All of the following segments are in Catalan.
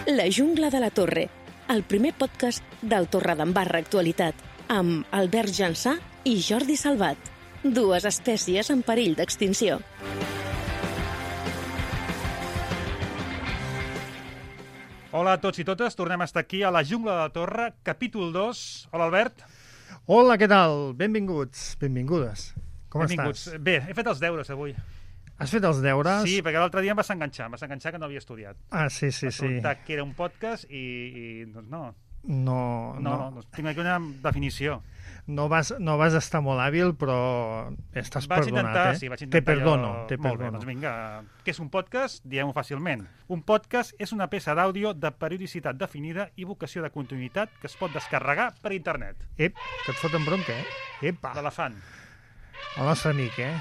La jungla de la Torre, el primer podcast del Torredembarra Actualitat, amb Albert Jansà i Jordi Salvat, dues espècies en perill d'extinció. Hola a tots i totes, tornem a estar aquí a la jungla de la Torre, capítol 2. Hola, Albert. Hola, què tal? Benvinguts, benvingudes. Com Benvinguts. estàs? Bé, he fet els deures avui. Has fet els deures? Sí, perquè l'altre dia em vas enganxar que no havia estudiat. Ah, sí. Vas preguntar que era un podcast i doncs no. No, Tinc aquí una definició. no vas estar molt hàbil, però estàs Vaig perdonat, intentar, eh? sí, vaig Te intentar. perdono. Molt bé, doncs vinga. Què és un podcast? Diguem-ho fàcilment. Un podcast és una peça d'àudio de periodicitat definida i vocació de continuïtat que es pot descarregar per internet. Que et foten bronca, eh? Epa, L'elefant. el nostre amic, eh?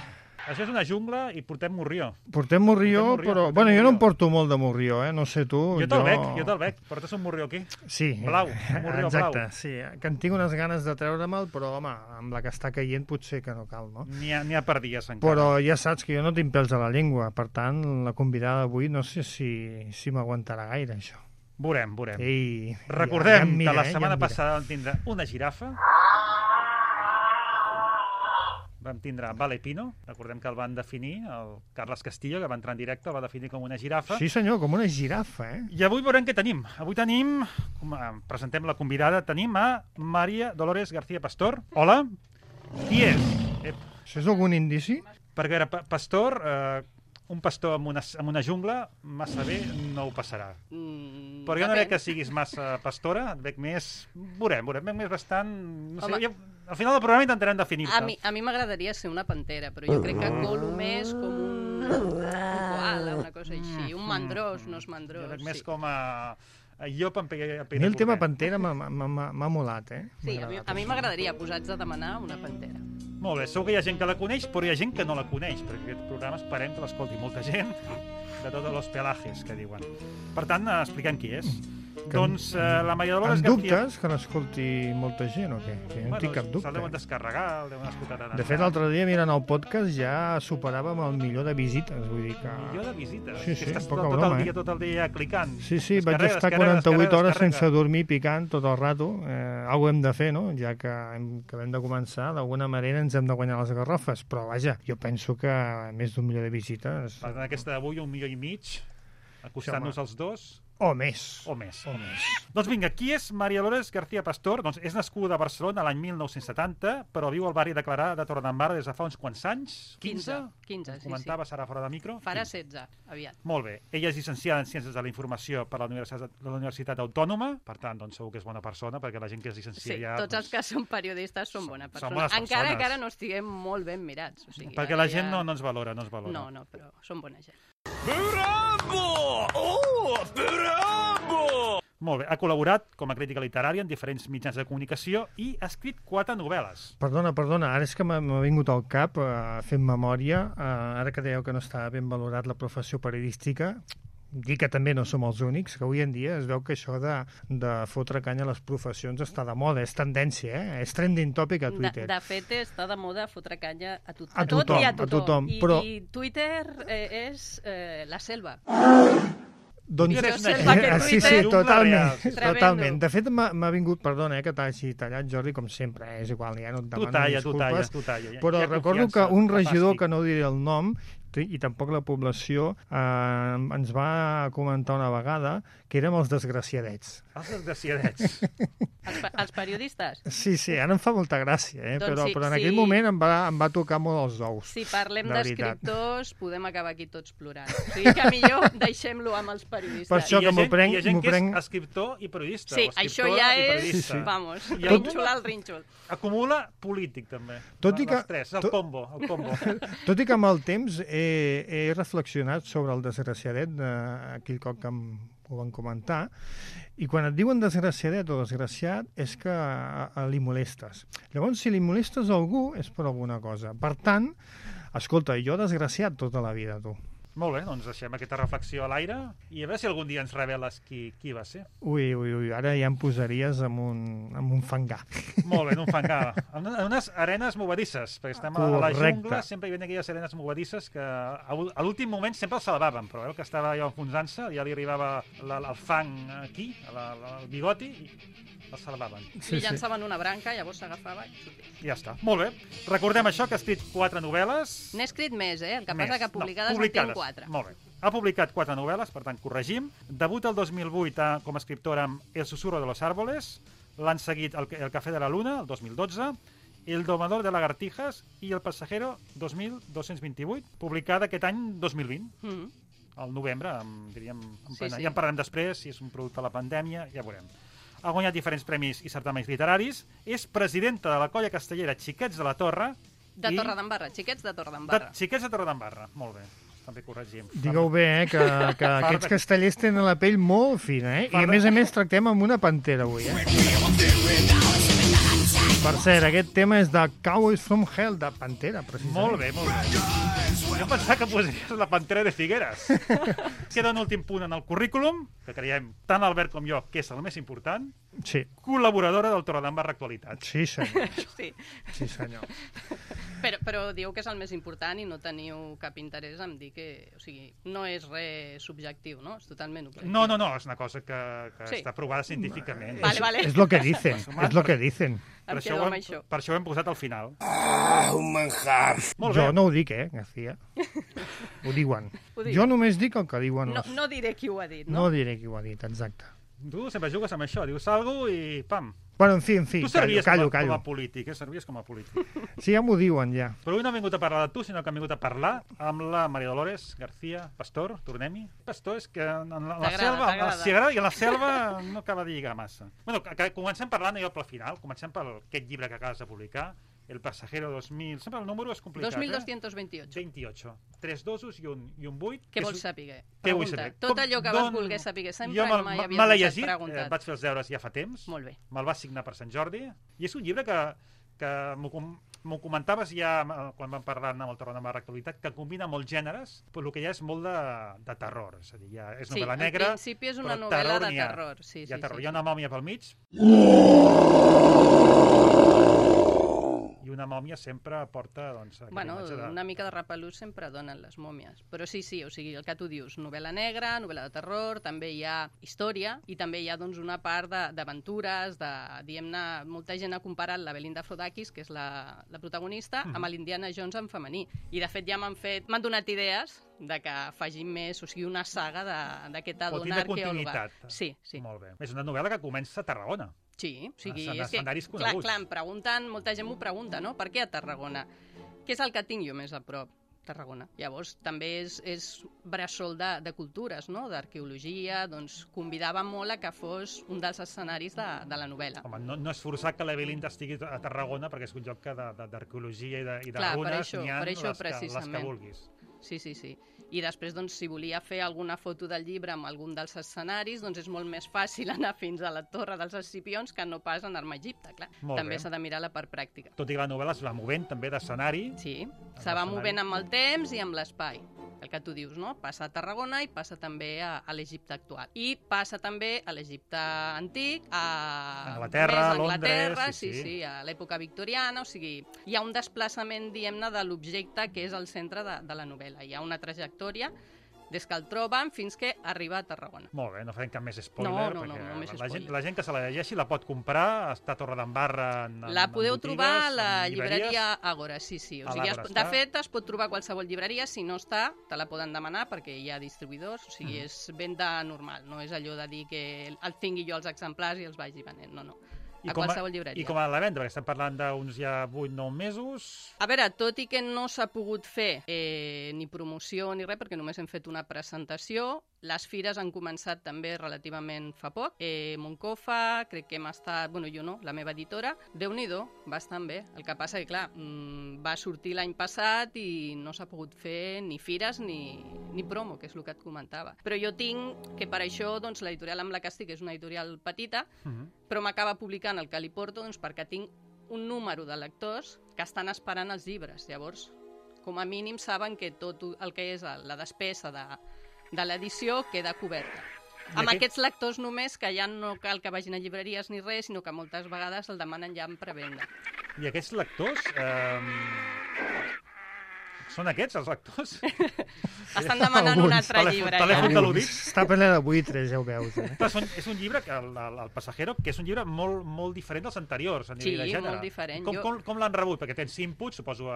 Això és una jungla i portem morrió. Portem morrió, però... Bueno, jo no em porto molt de morrió, eh? No sé tu. Jo te'l veig. Portes un morrió aquí. Sí. Blau, un morrió exacte, blau. sí. Que en tinc unes ganes de treure'l, però, home, amb la que està caient potser que no cal, no? N'hi ha per dies encara. Però ja saps que jo no tinc pèls a la llengua, per tant, la convidada d'avui no sé si m'aguantarà gaire, això. Veurem. Ei, Recordem ja que la setmana passada vam tindre una girafa. Vam tindre Vale Pino, recordem que el van definir, el Carles Castillo, que va entrar en directe, el va definir com una girafa. Sí, senyor, com una girafa, eh? I avui veurem què tenim. Avui tenim, presentem la convidada, tenim a Maria Dolores García Pastor. Hola. Qui és? Això és algun indici? Perquè era pastor, un pastor en una jungla, massa bé no ho passarà. Però jo no veig que siguis massa pastora, et veig més... Veurem, veig més bastant... No sé, al final del programa intentarem definir-te. A mi m'agradaria ser una pantera, però jo crec que colo més com un koala, una cosa així. Un mandrós, no és mandrós. Jo veig més com a llop en A mi el tema pantera m'ha molat, eh? Sí, a mi m'agradaria posats a demanar una pantera. Molt bé, segur que hi ha gent que la coneix, però hi ha gent que no la coneix, perquè aquest programa esperem que l'escolti molta gent de tots els pelajes que diuen. Per tant, expliquem qui és. Doncs la Maria Dolores Amb García... dubtes que n'escolti molta gent o què? Que jo no tinc cap dubte. Se'l deuen descarregar, el deuen escoltar tant. De fet, l'altre dia, mirant el podcast, ja superàvem el milió de visites, vull dir que... Milió de visites? Sí, Estàs poca tot broma, tot el dia clicant. Sí, vaig estar 48 hores sense dormir picant tot el rato. Algo hem de fer, no? Ja que acabem de començar, d'alguna manera ens hem de guanyar les garrofes. Però, vaja, jo penso que més d'un milió de visites... Per tant, aquesta d'avui, 1,5 milions, acostant-nos als dos... O més. Doncs vinga, qui és Maria Dolores García Pastor? Doncs és nascuda a Barcelona l'any 1970, però viu al barri de Clarà de Torredembarra des de fa uns quants anys? 15, sí. Comentava, serà fora de micro? Farà 16, aviat. Molt bé. Ella és llicenciada en Ciències de la Informació per la Universitat Autònoma, per tant, doncs segur que és bona persona, perquè la gent que es llicencia ja... Sí, tots els que són periodistes són bona persona. Bones encara que ara no estiguem molt ben mirats. O sigui, perquè la gent no ens valora, No, però són bona gent. Bravo! Oh, bravo! Molt bé, ha col·laborat com a crítica literària en diferents mitjans de comunicació i ha escrit 4 novel·les. Perdona, ara és que m'ha vingut al cap fent memòria, ara que dèieu que no estava ben valorat la professió periodística, dir que també no som els únics, que avui en dia es veu que això de fotre canya a les professions està de moda, és tendència, és trending topic a Twitter. De fet, està de moda fotre canya a tothom. A tothom. I Twitter és la selva. Doncs, sí, totalment. De fet, m'ha vingut, perdona que t'hagi tallat, Jordi, com sempre, és igual, ja no et demano disculpes. Tu talla. Però recordo que un regidor, que no diré el nom, i tampoc la població, ens va comentar una vegada que érem els desgraciadets. Els desgraciadets. Els periodistes? Sí, ara em fa molta gràcia, però en aquell moment em va tocar molt els ous. Si parlem d'escriptors, podem acabar aquí tots plorant. O sigui que millor deixem-lo amb els periodistes. Per això que m'ho prenc... Hi ha gent que és escriptor i periodista. Sí, això ja és, vamos, rínxol al rínxol. Acumula polític, també. Tot i que... Els tres, el combo. Tot i que amb el temps he reflexionat sobre el desgraciadet aquell cop que ho van comentar, i quan et diuen desgraciadet o desgraciat és que li molestes. Llavors, si li molestes a algú és per alguna cosa. Per tant, escolta, jo desgraciat tota la vida, tu. Molt bé, doncs deixem aquesta reflexió a l'aire i a veure si algun dia ens reveles qui va ser. Ui, ara ja em posaries amb un fangar. Molt bé, en un fangar. En unes arenes movedisses, perquè estem a la jungla, sempre hi havia aquelles arenes movedisses que a l'últim moment sempre el salvaven, però el que estava allò enfonsant-se, ja li arribava el fang aquí, al bigoti, i el salvaven. I llançaven una branca, llavors s'agafava i ja està. Molt bé. Recordem això, que ha escrit 4 novel·les. N'he escrit més, el que passa que publicades en tinc 4. Molt bé. Ha publicat 4 novel·les, per tant, corregim. Debuta el 2008 com a escriptora amb El susurro de los árboles. L'han seguit El café de la luna, el 2012, El domador de lagartijas i El pasajero 2228, publicada aquest any 2020. Al novembre, diríem, ja en parlarem després, si és un producte de la pandèmia, ja veurem. Ha guanyat diferents premis i certaments literaris, és presidenta de la colla castellera Xiquets de la Torre. De Torredembarra, Xiquets de Torredembarra. Xiquets de Torredembarra, molt bé. També corregim. Digueu bé, que aquests castellers tenen la pell molt fina, I a més tractem amb una pantera avui, Per cert, aquest tema és de Cowboys from Hell, de Pantera, precisament. Molt bé, molt bé. Jo pensava que posaries la Pantera de Figueres. Queda un últim punt en el currículum, que creiem tant Albert com jo que és el més important. Sí. Col·laboradora del Torredembarra Actualitat. Sí, senyor. Sí, senyor. Però diu que és el més important i no teniu cap interès en dir que... O sigui, no és res subjectiu, no? És totalment objectiu. No, és una cosa que està provada científicament. Vale. És lo que dicen, és lo que dicen. Per això ho hem posat al final. Un manjar. Jo no ho dic, García. Ho diuen. Jo només dic el que diuen. No diré qui ho ha dit, no? No diré qui ho ha dit, exacte. Tu sempre jugues amb això, dius alguna i pam. Bueno, en fi, tu servies callo. Com a polític, servies com a polític. Sí, ja m'ho diuen, ja. Però avui no hem vingut a parlar de tu, sinó que hem vingut a parlar amb la Maria Dolores García Pastor, tornem-hi. Pastor és que en la selva, si agrada, i en la selva no acaba de lligar massa. Bueno, comencem parlant allò pel final, comencem per aquest llibre que acabes de publicar, El pasajero 2000... Sempre el número és complicat, 2228. 28. 3 dosos i un 8. Què vols saber? Què vull saber? Tot allò que vas voler saber, sempre mai havies me l'he llegit, llegit, vaig fer els deures ja fa temps. Molt bé. Me'l vas signar per Sant Jordi. I és un llibre que m'ho comentaves ja quan vam parlar amb el Torredembarra Actualitat, que combina molts gèneres, però el que ja és molt de terror. És a dir, ja és novel·la negra, en principi és una novel·la de terror. Hi ha una mòmia pel mig. I una mòmia sempre porta... Una mica de repelús sempre donen les mòmies. Però sí, o sigui, el que tu dius, novel·la negra, novel·la de terror, també hi ha història i també hi ha una part d'aventures, diguem-ne, molta gent ha comparat la Belinda Frodakis, que és la protagonista, amb l'Indiana Jones en femení. I de fet ja m'han donat idees de que facin més, o sigui, una saga d'aquesta dona arqueòloga. Sí. Molt bé. És una novel·la que comença a Tarragona. Sí, o sigui, és que, clar, em pregunten, molta gent m'ho pregunta, no? Per què a Tarragona? Què és el que tinc jo més a prop? Tarragona. Llavors, també és bressol de cultures, no? D'arqueologia, doncs convidava molt a que fos un dels escenaris de la novel·la. Home, no és forçat que la Belinda estigui a Tarragona, perquè és un lloc d'arqueologia i de runes, n'hi ha les que vulguis. Sí. I després, doncs, si volia fer alguna foto del llibre amb algun dels escenaris, doncs és molt més fàcil anar fins a la Torre dels Escipions que no pas anar-me a Egipte, clar. També s'ha de mirar la part pràctica. Tot i que la novel·la es va movent també d'escenari. Sí, se va movent amb el temps i amb l'espai. El que tu dius, no? Passa a Tarragona i passa també a l'Egipte actual. I passa també a l'Egipte antic, a Anglaterra, sí, a l'època victoriana, o sigui, hi ha un desplaçament, diguem-ne, de l'objecte que és el centre de la novel·la. Hi ha una trajectòria des que el troben fins que arriba a Tarragona. Molt bé, no farem cap més spoiler, perquè la gent que se la llegeixi la pot comprar, està a Torredembarra en la podeu trobar a la llibreria Àgora, sí. O sigui, de fet, es pot trobar a qualsevol llibreria, si no està, te la poden demanar perquè hi ha distribuïdors, o sigui, és venda normal, no és allò de dir que el tingui jo els exemplars i els vagi venent, no. A qualsevol llibreria. I com ha de vendre? Perquè estem parlant d'uns ja 8-9 mesos... A veure, tot i que no s'ha pogut fer ni promoció ni res, perquè només hem fet una presentació, les fires han començat també relativament fa poc. Moncofa, crec que hem estat... Bueno, jo no, la meva editora. Déu-n'hi-do, bastant bé. El que passa que, clar, va sortir l'any passat i no s'ha pogut fer ni fires ni promo, que és el que et comentava. Però jo tinc que per això doncs, l'editorial amb la que estic és una editorial petita, però m'acaba publicant el que li porto perquè tinc un número de lectors que estan esperant els llibres. Llavors, com a mínim saben que tot el que és la despesa de l'edició queda coberta. Amb aquests lectors només, que ja no cal que vagin a llibreries ni res, sinó que moltes vegades el demanen ja en prevenda. I aquests lectors... Són aquests, els lectors? Estan demanant un altre llibre. Telèfon de l'Udit. Està ple de buitres, ja ho veus. És un llibre, el Passajero, que és un llibre molt diferent dels anteriors, a nivell de gènere. Sí, molt diferent. Com l'han rebut? Perquè tens inputs, suposo,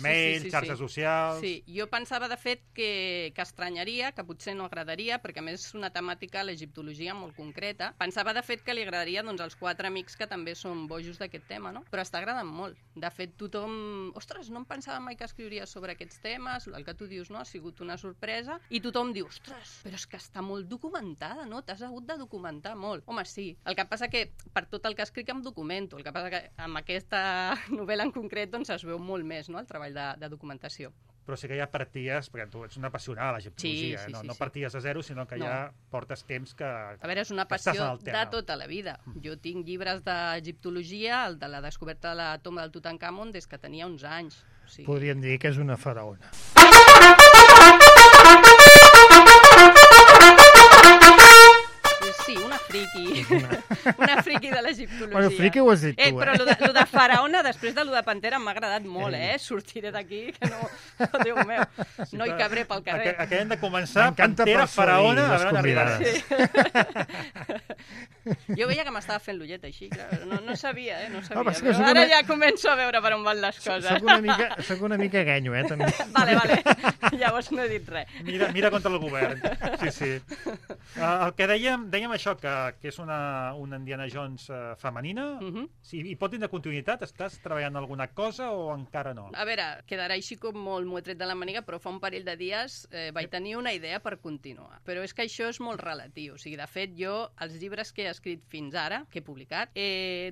mail, xarxes socials... Sí, jo pensava, de fet, que estranyaria, que potser no agradaria, perquè a més és una temàtica, l'egiptologia, molt concreta. Pensava, de fet, que li agradaria als 4 amics que també són bojos d'aquest tema, no? Però està agradant molt. De fet, tothom... Ostres, no em pensava mai que escriuria sobre aquests temes, el que tu dius, no? Ha sigut una sorpresa, i tothom diu, ostres, però és que està molt documentada, no? T'has hagut de documentar molt. Home, sí. El que passa que per tot el que escric em documento. El que passa que amb aquesta novel·la en concret doncs es veu molt més, no?, el treball de documentació. Però sí que ja parties, perquè tu ets una apassionada de l'egiptologia, no parties de zero, sinó que ja portes temps que... A veure, és una passió de tota la vida. Jo tinc llibres d'egiptologia, el de la descoberta de la tomba del Tutankamon, des que tenia 11 anys. Podríem dir que és una faraona. Sí, una friki. Una friki de l'egiptologia. Bueno, friki ho has dit tu, Però lo de faraona, després de lo de pantera, m'ha agradat molt, Sortiré d'aquí, que no... Oh, Déu meu, no hi cabré pel carrer. Acabem de començar, pantera, faraona, a veure on arribarà. Jo veia que m'estava fent l'ullet així, clar. No sabia, no sabia. Ara ja començo a veure per on van les coses. Soc una mica ganyo, també. Vale. Llavors no he dit res. Mira contra el govern. Sí. El que dèiem això, que és una Indiana Jones femenina, i pot tindre continuïtat? Estàs treballant en alguna cosa o encara no? A veure, quedarà així com molt m'ho he tret de la màniga, però fa un parell de dies vaig tenir una idea per continuar. Però és que això és molt relatiu. O sigui, de fet, jo, els llibres que he escrit fins ara, que he publicat,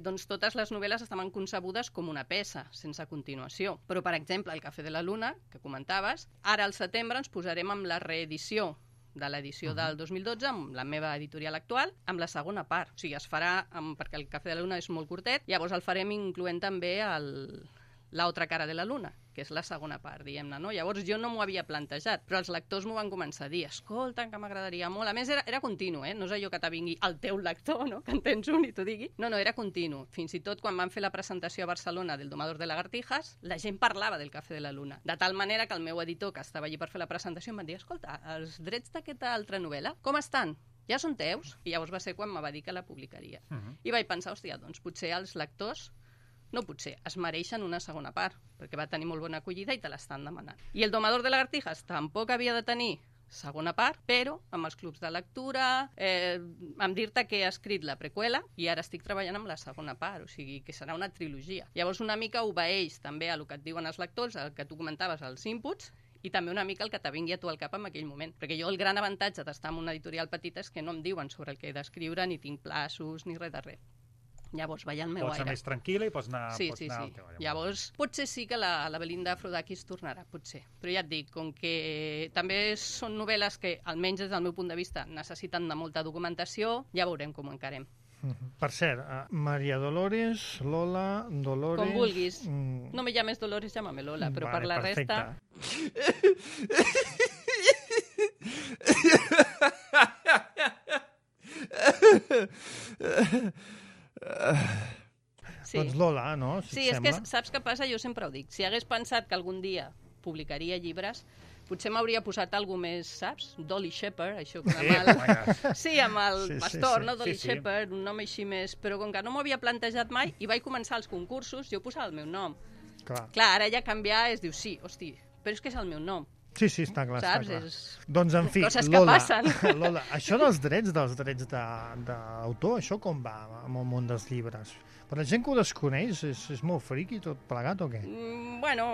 doncs totes les novel·les estaven concebudes com una peça, sense continuació. Però, per exemple, el Cafè de la Luna, que comentaves, ara al setembre ens posarem amb la reedició de l'edició del 2012, amb la meva editorial actual, amb la segona part. O sigui, es farà, perquè el Cafè de la Luna és molt curtet, llavors el farem incloent també l'altra cara de la Luna, que és la segona part, diguem-ne, no? Llavors jo no m'ho havia plantejat, però els lectors m'ho van començar a dir, escolta, que m'agradaria molt. A més, era continu, no és allò que te vingui el teu lector, no?, que en tens un i t'ho digui. No, era continu. Fins i tot quan van fer la presentació a Barcelona del Domador de Lagartijas, la gent parlava del Cafè de la Luna. De tal manera que el meu editor, que estava allí per fer la presentació, em va dir, escolta, els drets d'aquesta altra novel·la, com estan? Ja són teus? I llavors va ser quan me va dir que la publicaria. I vaig pensar, hòstia, doncs potser els lectors no potser, es mereixen una segona part, perquè va tenir molt bona acollida i te l'estan demanant. I el Domador de Lagartijas tampoc havia de tenir segona part, però amb els clubs de lectura, amb dir-te que he escrit la preqüela i ara estic treballant amb la segona part, o sigui que serà una trilogia. Llavors una mica obeeix també a el que et diuen els lectors, el que tu comentaves, els inputs, i també una mica el que te vingui a tu al cap en aquell moment. Perquè jo el gran avantatge d'estar en una editorial petita és que no em diuen sobre el que he d'escriure, ni tinc plaços, ni res de res. Llavors vaig al meu aire. Pots anar més tranquil·la i pots anar... Sí. Llavors, potser sí que la Belinda Aphrodakis tornarà, potser. Però ja et dic, com que també són novel·les que, almenys des del meu punt de vista, necessiten de molta documentació, ja veurem com ho encarem. Per cert, Maria Dolores, Lola, Dolores... Com vulguis. No me llames Dolores, llámame Lola, però per la resta... Sí. Doncs Lola, no? Sí, és que saps què passa? Jo sempre ho dic. Si hagués pensat que algun dia publicaria llibres, potser m'hauria posat alguna més, saps? Dolly Shepard, això com amb el pastor, no? Dolly Shepard, un nom així més... Però com que no m'ho havia plantejat mai i vaig començar els concursos, jo posava el meu nom. Clar, ara ja canviar es diu sí, hosti, però és que és el meu nom. Sí, està clar, saps? Està clar. Doncs, en fi, Lola, això dels drets d'autor, això com va amb el món dels llibres? Per la gent que ho desconeix, és molt friqui tot plegat o què? Bueno,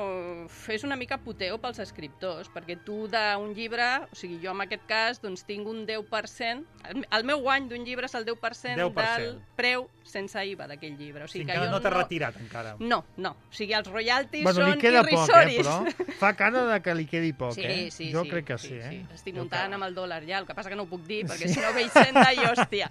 és una mica puteo pels escriptors, perquè tu d'un llibre, o sigui, jo en aquest cas, doncs tinc un 10%, el meu guany d'un llibre és el 10% del preu sense IVA d'aquell llibre. O sigui, que no t'ha retirat encara. No. O sigui, els royalties són irrisoris. Però fa cara que li quedi poc. poc, Jo crec que sí. Estic muntant amb el dòlar ja, el que passa que no ho puc dir, perquè si no ve Hisenda i hòstia.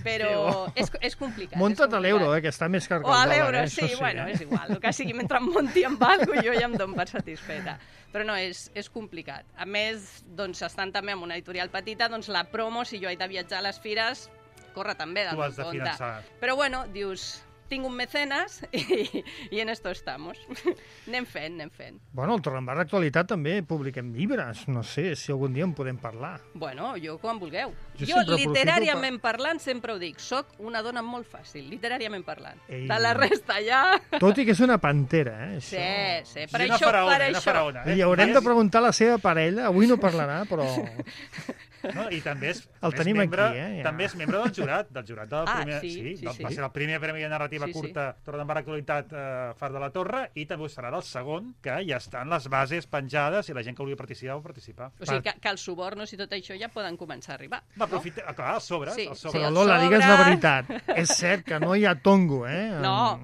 Però és complicat. Munta't a l'euro, que està més car que el dòlar. O a l'euro, sí, bueno, és igual. El que sigui, mentre em munti amb alguna cosa, jo ja em dono per satisfeta. Però no, és complicat. A més, doncs, estant també en una editorial petita, doncs la promo, si jo he de viatjar a les fires, corre també del meu compte. Tu has de finançar. Però bueno, dius, tinc un mecenes i en esto estamos. Anem fent. Bueno, al Torredembarra Actualitat també publiquem llibres. No sé si algun dia en podem parlar. Bueno, jo quan vulgueu. Jo literàriament parlant, sempre ho dic, soc una dona molt fàcil, literàriament parlant. De la resta ja... Tot i que és una pantera, Sí, per això. Li haurem de preguntar a la seva parella, avui no parlarà, però... No, i també és membre del jurat del primer, va ser el primer premi de narrativa curta Torredembarra Actualitat Far de la Torre, i també ho serà del segon, que ja estan les bases penjades i la gent que vulgui participar o participar. O sigui que els subornos i tot això ja poden començar a arribar. Va aprofitar, clar, els sobres. Però Lola, digues la veritat, és cert que no hi ha tongo, No.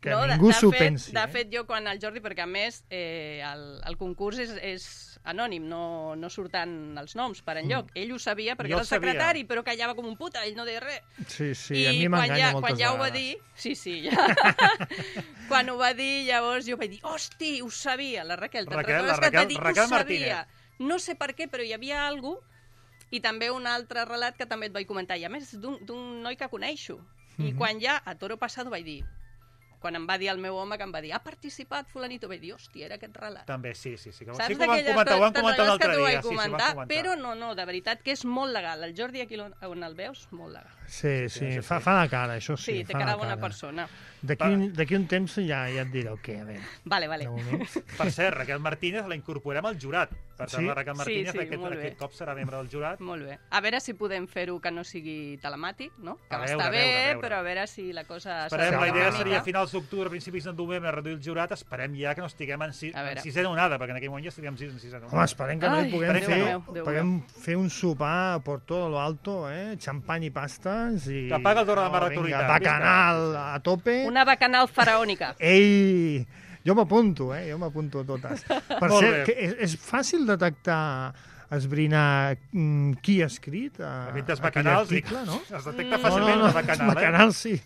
Que ningú s'ho pensi. De fet, jo quan el Jordi, perquè a més el concurs és anònim, no surten els noms per enlloc. Ell ho sabia perquè era el secretari, però callava com un puta, ell no deia res. Sí, a mi m'enganya moltes vegades. Quan ja ho va dir... Sí. Quan ho va dir, llavors jo vaig dir, hosti, ho sabia, la Raquel, te'n recordes que t'ha dit que ho sabia? No sé per què, però hi havia alguna cosa, i també un altre relat que també et vaig comentar, i a més d'un noi que coneixo. I quan ja a Toro Passado vaig dir, quan em va dir el meu home, que em va dir, ha participat fulanito, vaig dir, hòstia, era aquest relat. També, sí. Saps d'aquelles coses, però no, de veritat que és molt legal. El Jordi, aquí on el veus, molt legal. Sí, fa la cara, això sí. Sí, té cara de bona persona. D'aquí un temps ja et diré el què, a veure. Vale. Per cert, Raquel Martínez la incorporem al jurat. Per tant, la Raquel Martínez aquest cop serà membre del jurat. Molt bé. A veure si podem fer-ho que no sigui telemàtic, no? Que està bé, però a veure si la cosa... Esperem, la idea seria a finals d'octubre, principis de novembre, reduir el jurat. Esperem ja que no estiguem en sisena onada, perquè en aquell moment ja estaríem en sisena onada. Home, esperem que no hi puguem fer un sopar por todo lo alto, xampany i pastes i... Que paga el Torredembarra Actualitat. Bacanal a tope. Una bacanal faraònica. Ei, jo m'apunto totes. Per cert, és fàcil detectar, esbrinar qui ha escrit aquell article, no? Es detecta fàcilment el bacanal. Bacanal, sí.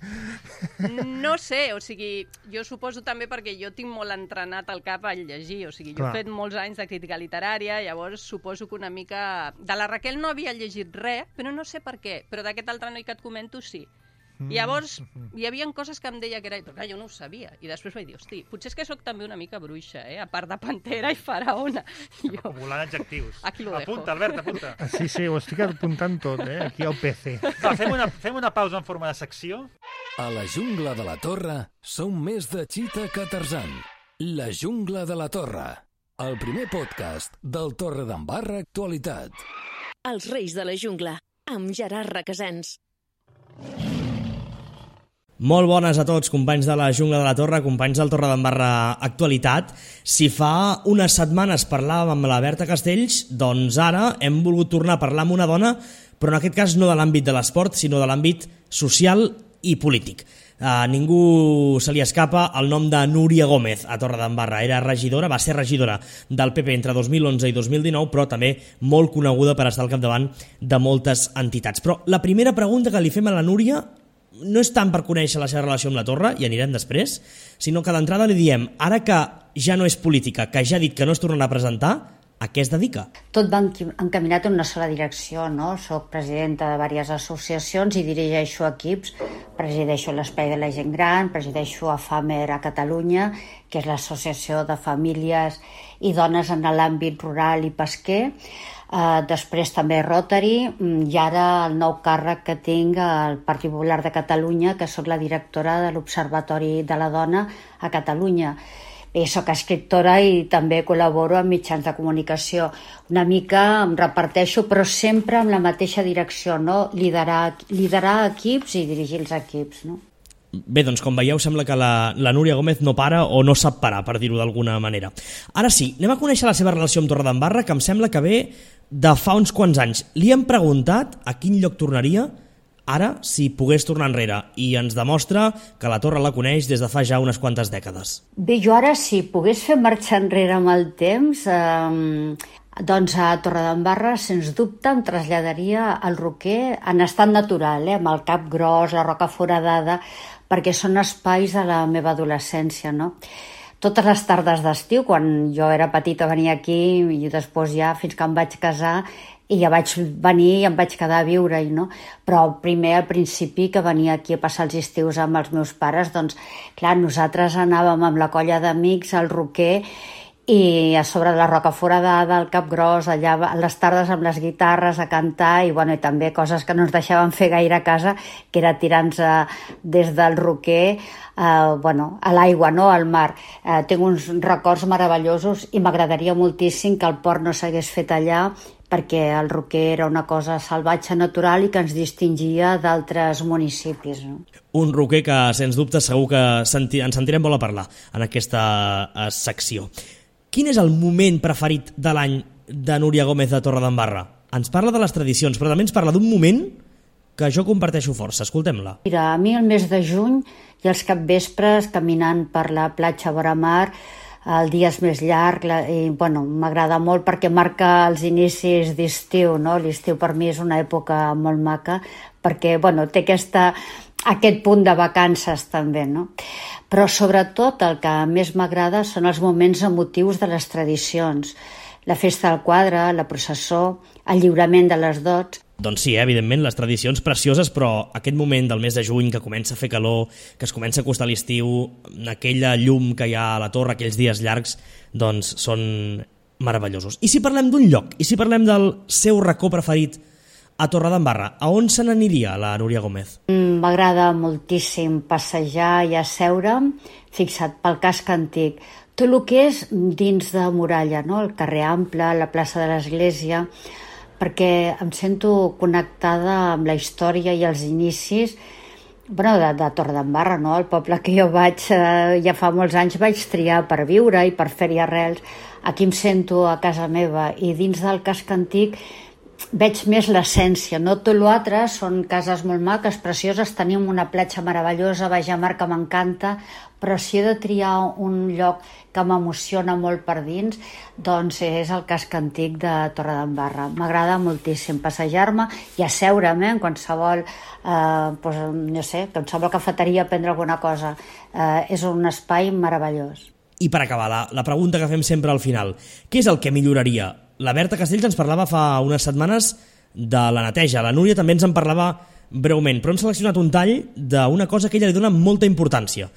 No sé, o sigui, jo suposo també perquè jo tinc molt entrenat el cap a llegir, o sigui, jo he fet molts anys de crítica literària, llavors suposo que una mica... De la Raquel no havia llegit res, però no sé per què, però d'aquest altre noi que et comento sí. I llavors hi havia coses que em deia que era... Però clar, jo no ho sabia. I després vaig dir, hosti, potser és que sóc també una mica bruixa, a part de pantera i faraona. Acumulant adjectius. Aquí lo dejo. Apunta, Albert, apunta. Sí, ho estic apuntant tot, aquí al PC. Va, fem una pausa en forma de secció. A la jungla de la Torre som més de Chita que Tarzan. La jungla de la Torre. El primer podcast del Torredembarra Actualitat. Els Reis de la Jungla, amb Gerard Requesens. Molt bones a tots, companys de la Jungla de la Torre, companys del Torredembarra Actualitat. Si fa unes setmanes parlàvem amb la Berta Castells, doncs ara hem volgut tornar a parlar amb una dona, però en aquest cas no de l'àmbit de l'esport, sinó de l'àmbit social i polític. A ningú se li escapa el nom de Núria Gómez a Torredembarra. Va ser regidora del PP entre 2011 i 2019, però també molt coneguda per estar al capdavant de moltes entitats. Però la primera pregunta que li fem a la Núria no és tant per conèixer la seva relació amb la Torre, i anirem després, sinó que d'entrada li diem, ara que ja no és política, que ja ha dit que no es tornarà a presentar, a què es dedica? Tot va encaminat en una sola direcció, no? Soc presidenta de diverses associacions i dirigeixo equips. Presideixo l'Espai de la Gent Gran, presideixo AFAMER a Catalunya, que és l'Associació de Famílies i Dones en l'àmbit rural i pesquer. Després també Rotary, i ara el nou càrrec que tinc al Partit Popular de Catalunya, que soc la directora de l'Observatori de la Dona a Catalunya. Bé, soc escriptora i també col·laboro amb mitjans de comunicació. Una mica em reparteixo, però sempre amb la mateixa direcció, no? Liderar equips i dirigir els equips, no? Bé, doncs com veieu sembla que la Núria Gómez no para o no sap parar, per dir-ho d'alguna manera. Ara sí, anem a conèixer la seva relació amb Torredembarra, que em sembla que ve de fa uns quants anys. Li hem preguntat a quin lloc tornaria ara si pogués tornar enrere i ens demostra que la Torre la coneix des de fa ja unes quantes dècades. Bé, jo ara si pogués fer marxar enrere amb el temps, doncs a Torredembarra, sens dubte, em traslladaria al Roquer en estat natural, amb el Cap Gros, la Roca Foradada, perquè són espais de la meva adolescència, no? Totes les tardes d'estiu, quan jo era petita, venia aquí i després ja fins que em vaig casar i ja vaig venir i em vaig quedar a viure-hi, no? Però primer, al principi, que venia aquí a passar els estius amb els meus pares, doncs, clar, nosaltres anàvem amb la colla d'amics al Roquer i a sobre de la Roca Foradada, al Cap Gros, allà a les tardes amb les guitarres a cantar i, bueno, i també coses que no ens deixaven fer gaire a casa, que era tirar-nos des del Roquer a l'aigua, no? Al mar. Tinc uns records meravellosos i m'agradaria moltíssim que el port no s'hagués fet allà, perquè el Roquer era una cosa salvatge, natural i que ens distingia d'altres municipis, no? Un Roquer que, sens dubte, segur que ens sentirem molt a parlar en aquesta secció. Quin és el moment preferit de l'any de Núria Gómez de Torredembarra? Ens parla de les tradicions, però també ens parla d'un moment que jo comparteixo força. Escoltem-la. Mira, a mi el mes de juny i els capvespres, caminant per la platja vora mar, el dia és més llarg i, bueno, m'agrada molt perquè marca els inicis d'estiu, no? L'estiu per mi és una època molt maca perquè, bueno, té aquest punt de vacances també, no? Però sobretot el que més m'agrada són els moments emotius de les tradicions. La festa del quadre, la processó, el lliurament de les dots. Doncs sí, evidentment, les tradicions precioses, però aquest moment del mes de juny que comença a fer calor, que es comença a acostar l'estiu, aquella llum que hi ha a la torre, aquells dies llargs, doncs són meravellosos. I si parlem d'un lloc, i si parlem del seu racó preferit a Torredembarra, a on se n'aniria la Núria Gómez? M'agrada moltíssim passejar i asseure'm, fixa't, pel casc antic. Tot el que és dins de muralla, no? El carrer Ample, la plaça de l'Església, perquè em sento connectada amb la història i els inicis de Torredembarra, no? El poble que jo vaig, ja fa molts anys vaig triar per viure i per fer-hi arrels. Aquí em sento a casa meva i dins del casc antic veig més l'essència, no? Tot l'altre són cases molt maques, precioses, tenim una platja meravellosa, baix a mar que m'encanta, però si he de triar un lloc que m'emociona molt per dins, doncs és el casc antic de Torredembarra. M'agrada moltíssim passejar-me i asseure'm en qualsevol, qualsevol cafeteria a prendre alguna cosa. És un espai meravellós. I per acabar, la pregunta que fem sempre al final, què és el que milloraria? La Berta Castells ens parlava fa unes setmanes de la neteja, la Núria també ens en parlava breument, però hem seleccionat un tall d'una cosa que ella li dona molta importància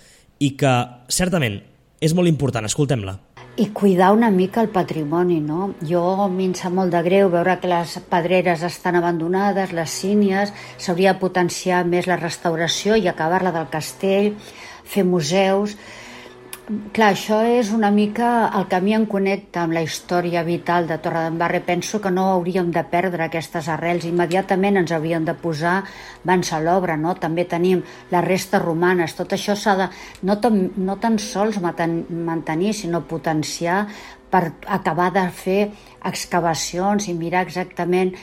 i que, certament, és molt important. Escoltem-la. I cuidar una mica el patrimoni, no? A mi em sap molt de greu veure que les pedreres estan abandonades, les sínies, s'hauria de potenciar més la restauració i acabar-la del castell, fer museus. Clar, això és una mica el que a mi em connecta amb la història vital de Torredembarra. Penso que no hauríem de perdre aquestes arrels, immediatament ens hauríem de posar mans a l'obra, no? També tenim les restes romanes, tot això s'ha de no tan sols mantenir, sinó potenciar per acabar de fer excavacions i mirar exactament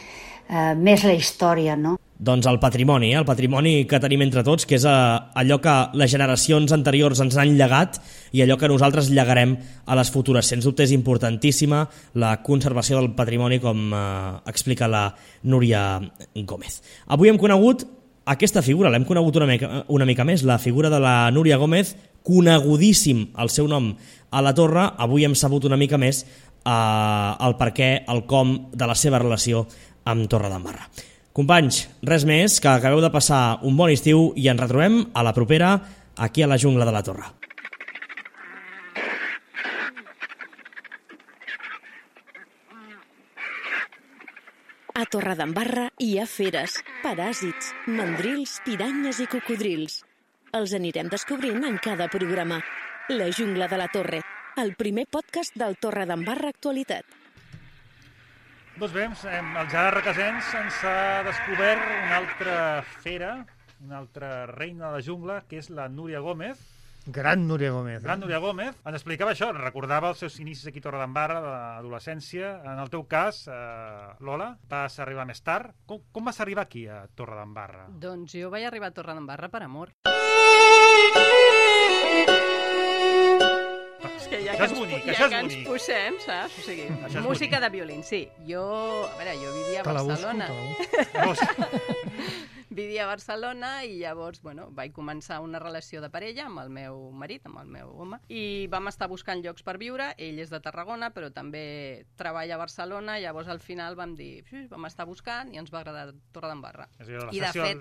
més la història, no? Doncs el patrimoni que tenim entre tots, que és allò que les generacions anteriors ens han llegat i allò que nosaltres llegarem a les futures. Sens dubte és importantíssima la conservació del patrimoni, com explica la Núria Gómez. Avui hem conegut aquesta figura, l'hem conegut una mica més, la figura de la Núria Gómez, conegudíssim el seu nom a la torre. Avui hem sabut una mica més el perquè, el com de la seva relació amb Torredembarra. Companys, res més, que acabeu de passar un bon estiu i ens retrobem a la propera aquí a la Jungla de la Torre. A Torredembarra hi ha feres, paràsits, mandrils, piranyes i cocodrils. Els anirem descobrint en cada programa. La Jungla de la Torre, el primer podcast del Torredembarra Actualitat. Doncs bé, el Gerard Requesens ens ha descobert una altra fera, una altra reina de la jungla, que és la Núria Gómez. Gran Núria Gómez. Gran Núria Gómez. Ens explicava això, recordava els seus inicis aquí a Torredembarra, de l'adolescència. En el teu cas, Lola, vas arribar més tard. Com vas arribar aquí a Torredembarra? Doncs jo vaig arribar a Torredembarra per amor. És que ja que ens posem, saps? O sigui, música de violín, sí. Jo vivia a Barcelona. Vivia a Barcelona i llavors, vaig començar una relació de parella amb el meu marit, amb el meu home, i vam estar buscant llocs per viure. Ell és de Tarragona, però també treballa a Barcelona, llavors al final vam dir, vam estar buscant i ens va agradar Torredembarra. És a dir,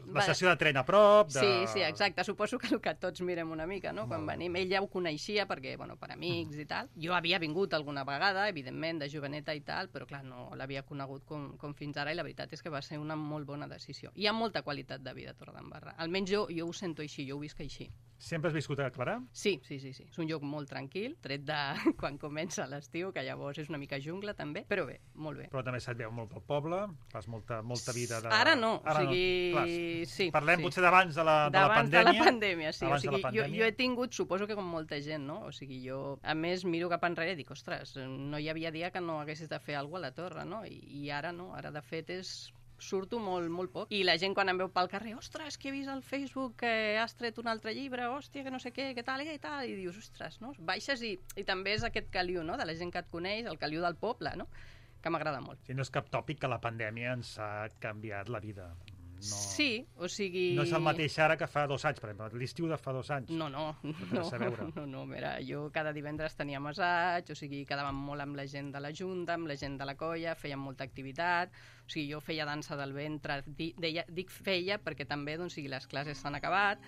la estació de tren a prop... Sí, exacte. Suposo que el que tots mirem una mica, no?, quan venim. Ell ja ho coneixia perquè, per amics i tal. Jo havia vingut alguna vegada, evidentment, de joveneta i tal, però clar, no l'havia conegut com fins ara, i la veritat és que va ser una molt bona decisió. Hi ha molta qualitat de vida a Torredembarra. Almenys jo ho sento així, jo ho visc així. Sempre has viscut a Clarà? Sí. És un lloc molt tranquil, tret de quan comença l'estiu, que llavors és una mica jungla també, però bé, molt bé. Però també se't veu molt pel poble, fas molta vida de... Ara no, sí. Parlem potser d'abans de la pandèmia. D'abans de la pandèmia, sí. O sigui, jo he tingut, suposo que com molta gent, no? O sigui, jo, a més, miro cap enrere i dic, ostres, no hi havia dia que no haguessis de fer alguna cosa a la torre, no? I ara no, ara de fet surto molt poc. I la gent quan em veu pel carrer, ostres, que he vist al Facebook que has tret un altre llibre, hòstia, que no sé què tal, i dius, ostres, no? Baixes i també és aquest caliu, no?, de la gent que et coneix, el caliu del poble, no?, que m'agrada molt. Sí, no és cap tòpic que la pandèmia ens ha canviat la vida. No, sí, o sigui... No és el mateix ara que fa 2 anys, per exemple, l'estiu de fa 2 anys. No, mira, jo cada divendres tenia assaig, o sigui, quedàvem molt amb la gent de la Junta, amb la gent de la colla, fèiem molta activitat, o sigui, jo feia dansa del ventre, dic feia perquè també, doncs, les classes s'han acabat,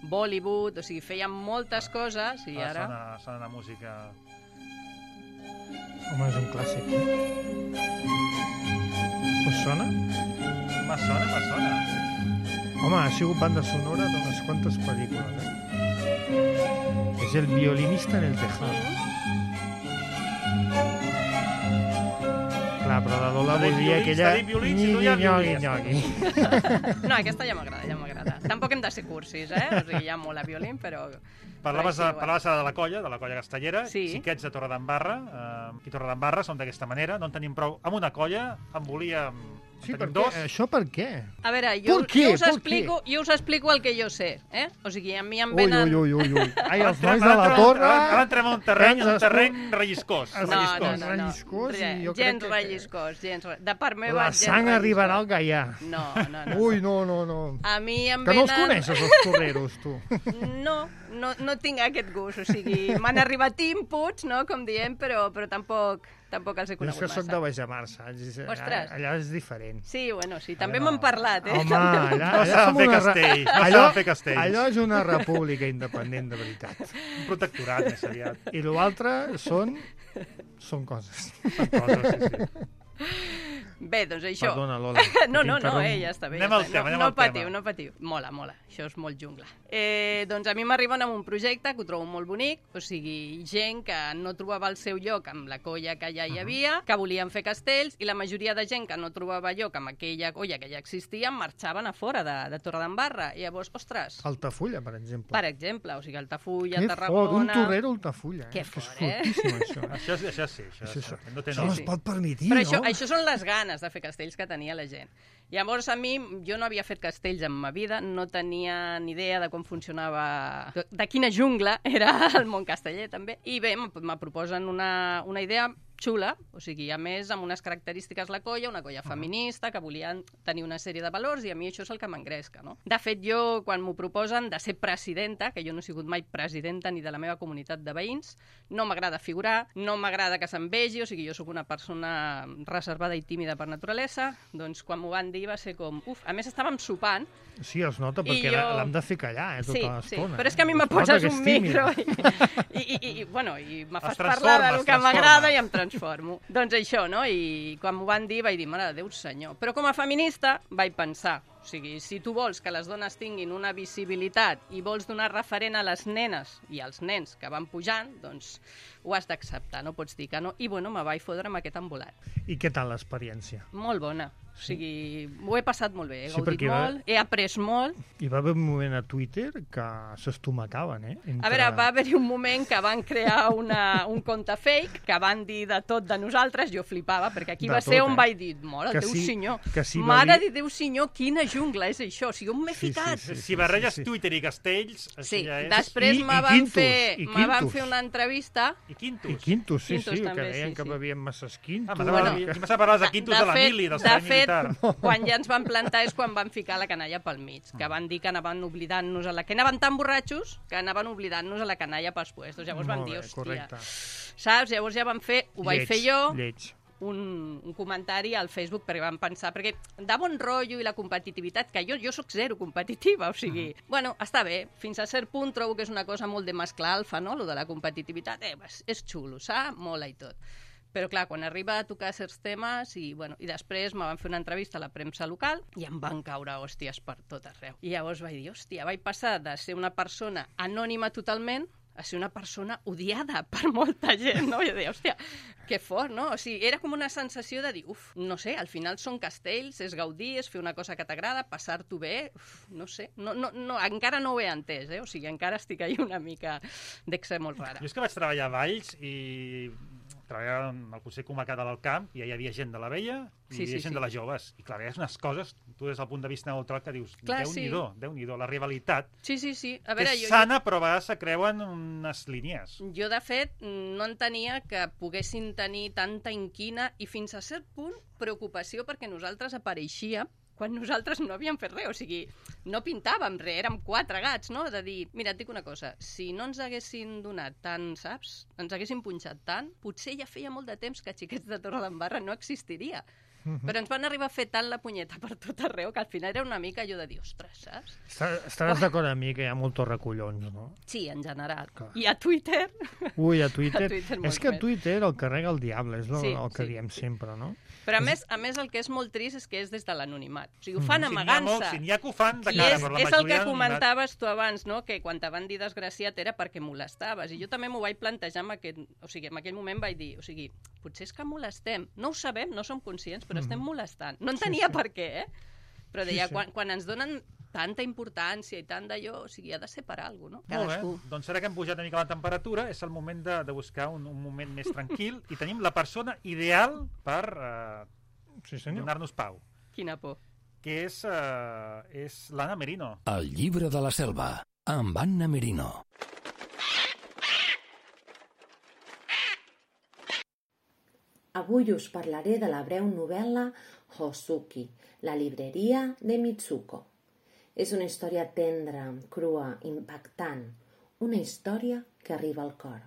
Bollywood, o sigui, fèiem moltes coses, i ara... Sona la música... Home, és un clàssic. Us sona? Me sona. Home, ha sigut banda sonora d'unes quantes pel·lícules, És el violinista en el tejado. Clar, però la Lola volia aquella... Nyogui. No, aquesta ja m'agrada. Tampoc hem de ser cursis, O sigui, hi ha molt a violín, però... Parlaves de la colla castellera. Sí que ets de Torredembarra. Aquí a Torredembarra som d'aquesta manera. No en tenim prou amb una colla. En volíem... Sí, això per què? A veure, jo us explico el que jo sé, O sigui, a mi em venen... Ui. Ai, els nois de la torre... Ara entrem a un terreny relliscós. No. Gens relliscós. De part meva, la sang arribarà al gaià. No. Ui, no. A mi em venen... Que no els coneixes, els torreros, tu. No tinc aquest gust, o sigui, m'han arribat inputs, no?, com diem, però tampoc els he conegut massa. Jo soc de Bajamar, saps? Ostres. Allà és diferent. Sí, també m'han parlat, Home, allà som allò és una república independent, de veritat. Un protectorat, més aviat. I l'altre són coses. Sí. Bé, doncs això... Perdona, Lola. No, ja està bé. Anem al tema. No patiu. Mola. Això és molt jungla. Doncs a mi m'arriben amb un projecte que ho trobo molt bonic, o sigui, gent que no trobava el seu lloc amb la colla que ja hi havia, que volien fer castells, i la majoria de gent que no trobava lloc amb aquella colla que ja existia marxaven a fora de Torredembarra. I llavors, ostres... Altafulla, per exemple. Per exemple, o sigui, Altafulla, Tarragona... Que fort, un torrero Altafulla. Que fort, fortíssim, això sí. Això no es pot permetir, però no? Això són les ganes de fer castells que tenia la gent. Llavors, jo no havia fet castells en ma vida, no tenia ni idea de com funcionava, de quina jungla era el món casteller, també. I bé, me proposen una idea xula, o sigui, a més, amb unes característiques la colla, una colla feminista, que volien tenir una sèrie de valors, i a mi això és el que m'engresca, no? De fet, jo, quan m'ho proposen de ser presidenta, que jo no he sigut mai presidenta ni de la meva comunitat de veïns, no m'agrada figurar, no m'agrada que se'm vegi, o sigui, jo sóc una persona reservada i tímida per naturalesa, doncs quan m'ho van dir va ser com... A més, estàvem sopant... Sí, es nota, perquè l'hem de fer callar, tota l'estona. Sí, però és que a mi me poses un micro i me fas parlar del que m'agrada i em transformo. Doncs això, no? I quan m'ho van dir vaig dir, mare de Déu senyor. Però com a feminista vaig pensar, o sigui, si tu vols que les dones tinguin una visibilitat i vols donar referent a les nenes i als nens que van pujant, doncs ho has d'acceptar, no pots dir que no. I bueno, me vaig fotre amb aquest embolat. I què tal l'experiència? Molt bona. O sigui, ho he passat molt bé, he Sí, gaudit perquè molt, he après molt. Hi va haver un moment a Twitter que s'estomacaven, A veure, va haver-hi un moment que van crear un compte fake, que van dir de tot de nosaltres, jo flipava, perquè aquí va ser on vaig dir, mare, Déu senyor, mare de Déu senyor, quina jungla és això, o sigui, on m'he ficat? Si barreges Twitter i Castells, sí, ja és... després me van fer una entrevista... I Quintus. I Quintus, sí, que deien que bevien masses Quintus. M'has de parlar de Quintus de la mili, del servei militar. Quan ja ens van plantar és quan van ficar la canalla pel mig, que van dir que anaven oblidant-nos que anaven tan borratxos que anaven oblidant-nos a la canalla pels puestos. Llavors van dir, hòstia, saps? Llavors ja van fer, ho vaig fer jo, un comentari al Facebook, perquè van pensar, perquè de bon rotllo i la competitivitat, que jo soc zero competitiva, o sigui, bueno, està bé, fins a cert punt trobo que és una cosa molt de mascle alfa, no?, lo de la competitivitat, és xulo, saps? Mola i tot. Però, clar, quan arriba a tocar certs temes i després me van fer una entrevista a la premsa local i em van caure hòsties per tot arreu. I llavors vaig dir, hòstia, vaig passar de ser una persona anònima totalment a ser una persona odiada per molta gent, no? I deia, hòstia, que fort, no? O sigui, era com una sensació de dir, no sé, al final són castells, és gaudir, és fer una cosa que t'agrada, passar-t'ho bé, no sé, no, encara no ho he entès, O sigui, encara estic ahí una mica d'exe molt rara. Jo és que vaig treballar a Valls i treballava amb el Consell Comarcal de l'Alt Camp i hi havia gent de la vella i hi havia gent de les joves. I clar, veies unes coses, tu des del punt de vista neutral, que dius, Déu-n'hi-do, la rivalitat. Sí. A veure, és sana, però a vegades se creuen unes línies. Jo, de fet, no entenia que poguessin tenir tanta inquina i fins a cert punt preocupació perquè nosaltres apareixíem quan nosaltres no havíem fet res, o sigui, no pintàvem res, érem 4 gats, no?, de dir, mira, et dic una cosa, si no ens haguessin donat tant, saps?, ens haguessin punxat tant, potser ja feia molt de temps que Xiquets de Torredembarra no existiria. Però ens van arribar a fer tant la punyeta per tot arreu que al final era una mica allò de dir, ostres, saps? Estaràs d'acord amb mi que hi ha molts recollons, no? Sí, en general. Clar. I a Twitter... Ui, a Twitter és que a Twitter el carrega el diable, és el que diem sempre, no? Però a més el que és molt trist és que és des de l'anonimat. O sigui, ho fan amagant-se. Si n'hi ha que ho fan de cara, però la majoria és el que comentaves tu abans, no?, que quan te van dir desgraciat era perquè molestaves. I jo també m'ho vaig plantejar en aquell moment vaig dir, o sigui, potser és que molestem. No ho sabem, no som conscients, però estem molestant. No entenia per què, Però deia, quan ens donen tanta importància i tant d'allò, o sigui, ha de ser per alguna cosa, no? Molt bé, doncs ara que hem pujat una mica la temperatura, és el moment de buscar un moment més tranquil i tenim la persona ideal per donar-nos pau. Quina por. Que és l'Anna Merino. El llibre de la selva, amb Anna Merino. Avui us parlaré de la breu novel·la Hosuki, la llibreria de Mitsuko. És una història tendra, crua, impactant, una història que arriba al cor.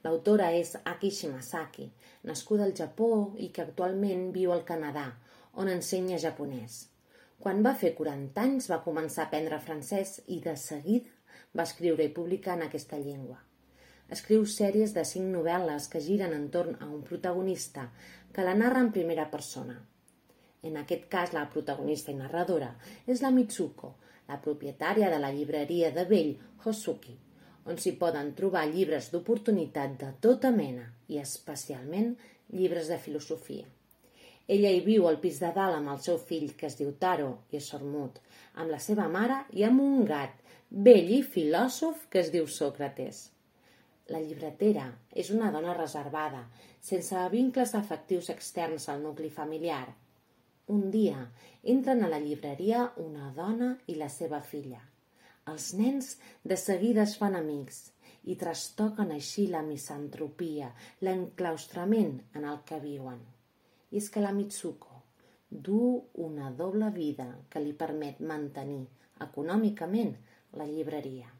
L'autora és Aki Shimasaki, nascuda al Japó i que actualment viu al Canadà, on ensenya japonès. Quan va fer 40 anys va començar a aprendre francès i de seguida va escriure i publicar en aquesta llengua. Escriu sèries de 5 novel·les que giren entorn a un protagonista que la narra en primera persona. En aquest cas, la protagonista i narradora és la Mitsuko, la propietària de la llibreria de vell Hosuki, on s'hi poden trobar llibres d'oportunitat de tota mena i especialment llibres de filosofia. Ella hi viu al pis de dalt amb el seu fill, que es diu Taro i és sordmut, amb la seva mare i amb un gat vell i filòsof que es diu Sòcrates. La llibretera és una dona reservada, sense vincles afectius externs al nucli familiar. Un dia entren a la llibreria una dona i la seva filla. Els nens de seguida es fan amics i trastoquen així la misantropia, l'enclaustrament en el que viuen. I és que la Mitsuko du una doble vida que li permet mantenir econòmicament la llibreria.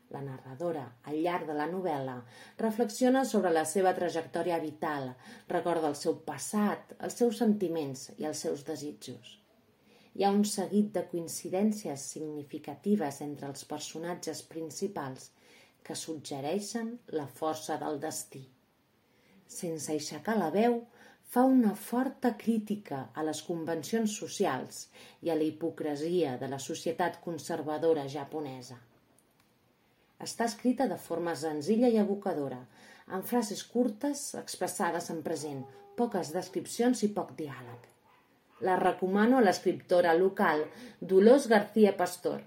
La narradora, al llarg de la novel·la, reflexiona sobre la seva trajectòria vital, recorda el seu passat, els seus sentiments i els seus desitjos. Hi ha un seguit de coincidències significatives entre els personatges principals que suggereixen la força del destí. Sense aixecar la veu, fa una forta crítica a les convencions socials i a la hipocresia de la societat conservadora japonesa. Està escrita de forma senzilla i evocadora, amb frases curtes expressades en present, poques descripcions i poc diàleg. La recomano a l'escriptora local Dolors García Pastor,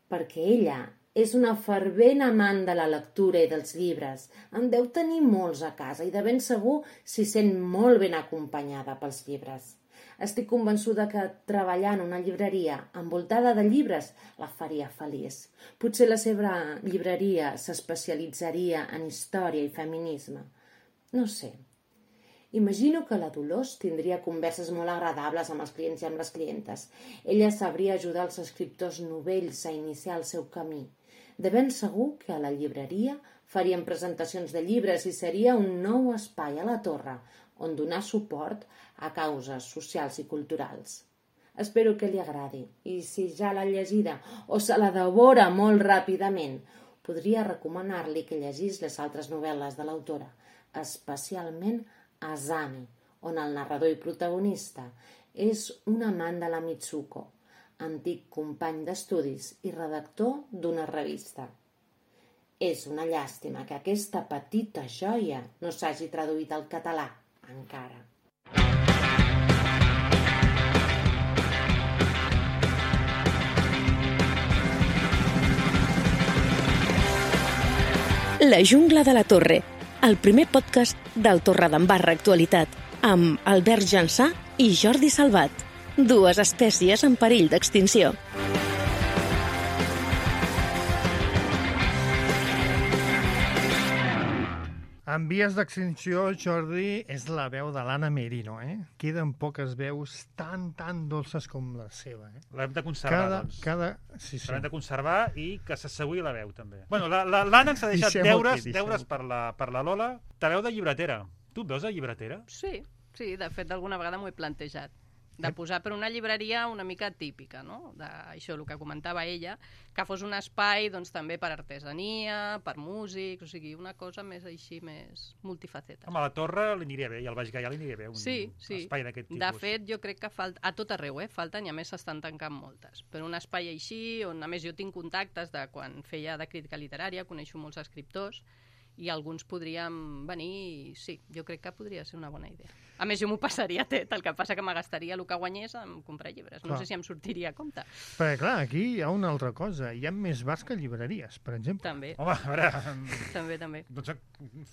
perquè ella és una fervent amant de la lectura i dels llibres. En deu tenir molts a casa i de ben segur s'hi sent molt ben acompanyada pels llibres. Estic convençuda que treballar en una llibreria envoltada de llibres la faria feliç. Potser la seva llibreria s'especialitzaria en història i feminisme. No sé. Imagino que la Dolors tindria converses molt agradables amb els clients i amb les clientes. Ella sabria ajudar els escriptors novells a iniciar el seu camí. De ben segur que a la llibreria farien presentacions de llibres i seria un nou espai a la Torre on donar suport a causes socials i culturals. Espero que li agradi i si ja l'ha llegida o se la devora molt ràpidament, podria recomanar-li que llegís les altres novel·les de l'autora, especialment Asami, on el narrador i protagonista és un amant de la Mitsuko, antic company d'estudis i redactor d'una revista. És una llàstima que aquesta petita joia no s'hagi traduït al català encara. La jungla de la Torre, el primer podcast del Torredembarra Actualitat, amb Albert Jansà i Jordi Salvat, dues espècies en perill d'extinció. En vies d'extinció, Jordi, és la veu de l'Anna Merino, Queden poques veus tan dolces com la seva, L'hem de conservar, doncs. Sí. L'hem de conservar i que s'assegui la veu, també. Bueno, l'Anna ens ha deixat deures per la Lola. Ta veu de llibretera. Tu et veus de llibretera? Sí, de fet, alguna vegada m'ho he plantejat. De posar per una llibreria una mica típica, no? Això, el que comentava ella, que fos un espai doncs, també per artesania, per músics, o sigui, una cosa més així, més multifaceta. Home, a la Torre li aniria bé, i al Baix Gaià li aniria bé un espai d'aquest tipus. De fet, jo crec que a tot arreu, falten, i a més s'estan tancant moltes. Però un espai així, on a més jo tinc contactes de quan feia de crítica literària, coneixo molts escriptors, i alguns podríem venir i sí, jo crec que podria ser una bona idea. A més, jo m'ho passaria tot, el que passa que me gastaria el que guanyés en comprar llibres. No sé si em sortiria a compte. Perquè, clar, aquí hi ha una altra cosa. Hi ha més bars que llibreries, per exemple. També. Home, a veure... També. Doncs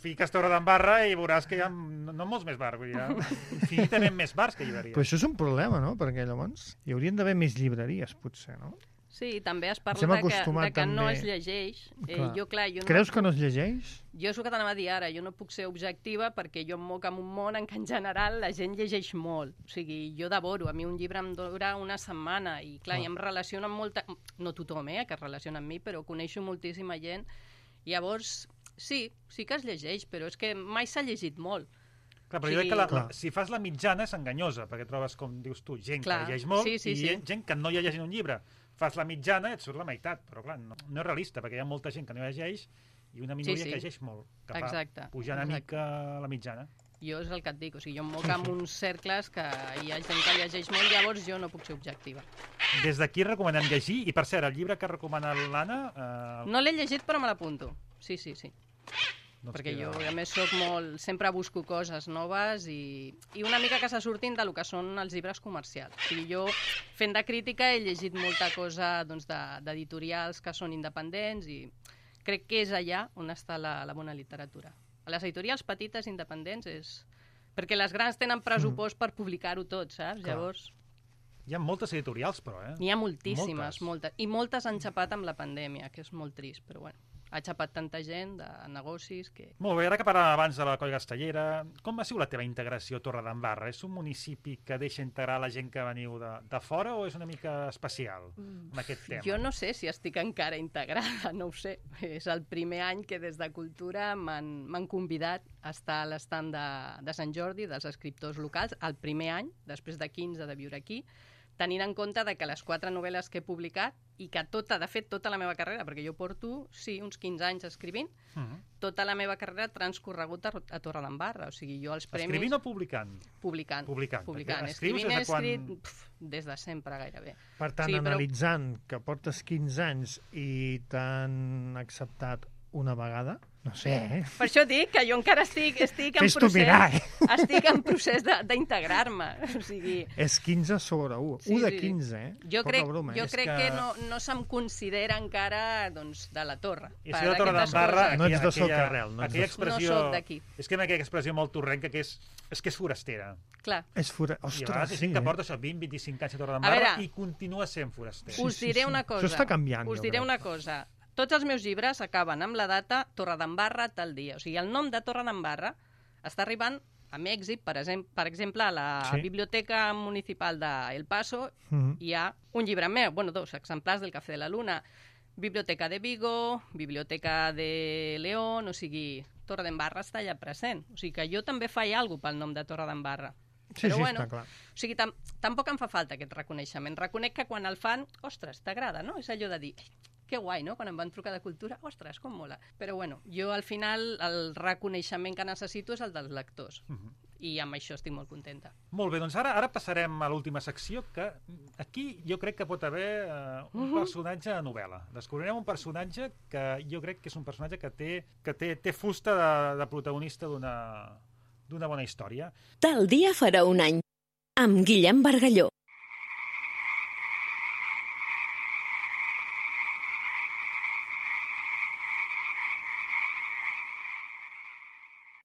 fiques Torredembarra i veuràs que hi ha no molts més bars, vull dir, infinitament més bars que llibreries. Però això és un problema, no? Perquè llavors hi haurien d'haver més llibreries, potser, no? Sí, també es parla de que no es llegeix. Creus que no es llegeix? Jo és el que t'anava a dir ara, jo no puc ser objectiva perquè jo em moc en un món en què en general la gent llegeix molt. O sigui, jo devoro, a mi un llibre em dura una setmana i clar, i em relaciono amb molta... No tothom, que es relaciona amb mi, però coneixo moltíssima gent. Llavors, sí que es llegeix, però és que mai s'ha llegit molt. Clar, però jo crec que si fas la mitjana és enganyosa, perquè trobes, com dius tu, gent que llegeix molt i gent que no llegeix un llibre. Fas la mitjana i et surt la meitat, però clar, no és realista, perquè hi ha molta gent que no llegeix i una minoria que llegeix molt, que fa pujar una mica la mitjana. Jo és el que et dic, o sigui, jo em moc amb uns cercles que hi ha gent que llegeix molt, llavors jo no puc ser objectiva. Des d'aquí recomanem llegir, i per cert, el llibre que recomana l'Anna... No l'he llegit, però me l'apunto. Sí. Perquè jo, a més, soc molt... Sempre busco coses noves i una mica que se surtin del que són els llibres comercials. O sigui, jo, fent de crítica, he llegit molta cosa d'editorials que són independents i crec que és allà on està la bona literatura. A les editorials petites, independents, és... Perquè les grans tenen pressupost per publicar-ho tot, saps? Llavors... Hi ha moltes editorials, però, N'hi ha moltíssimes, moltes. I moltes han xapat amb la pandèmia, que és molt trist, però bueno. Ha xapat tanta gent de negocis que... Molt bé, ara que parlàvem abans de la Coll Castellera, com ha sigut la teva integració a Torredembarra? És un municipi que deixa integrar la gent que veniu de fora o és una mica especial en aquest tema? Jo no sé si estic encara integrada, no ho sé. És el primer any que des de Cultura m'han convidat a estar a l'estand de Sant Jordi, dels escriptors locals, el primer any, després de 15 de viure aquí, tenint en compte que les 4 novel·les que he publicat i que de fet, tota la meva carrera, perquè jo porto, uns 15 anys escrivint, tota la meva carrera ha transcorregut a Torredembarra. O sigui, jo els premis... Escrivint o publicant? Publicant. Escrivint he escrit des de sempre, gairebé. Per tant, analitzant que portes 15 anys i t'han acceptat una vegada, no sé, Per això dic que jo encara estic en procés d'integrar-me. O sigui... És 15 sobre 1, 1 de 15, Jo crec que no se'm considera encara de la Torre. I si la Torre d'Embarra... No ets de Socarrel. No soc d'aquí. És que aquella expressió molt torrenca que és que és forastera. Clar. És forastera. Ostres, I a vegades gent que porta això 20-25 anys a Torre d'Embarra i continua sent forastera. Us diré una cosa. Això està canviant. Us diré una cosa. Tots els meus llibres acaben amb la data Torre d'Embarra tal dia. O sigui, el nom de Torre d'Embarra està arribant amb èxit. Per exemple, a la Biblioteca Municipal d'El Paso hi ha un llibre meu, 2 exemplars del Café de la Luna. Biblioteca de Vigo, Biblioteca de León, o sigui, Torre d'Embarra està allà present. O sigui que jo també faig alguna cosa pel nom de Torre d'Embarra. Però bueno, està clar. O sigui, tampoc em fa falta aquest reconeixement. Reconec que quan el fan, ostres, t'agrada, no? És allò de dir, que guai, no? Quan em van trucar de cultura, ostres, com mola. Però bueno, jo al final el reconeixement que necessito és el dels lectors. I amb això estic molt contenta. Molt bé, doncs ara passarem a l'última secció, que aquí jo crec que pot haver un personatge de novel·la. Descobrirem un personatge que jo crec que és un personatge que té fusta de protagonista d'una bona història. Tal dia farà un any, amb Guillem Bargalló.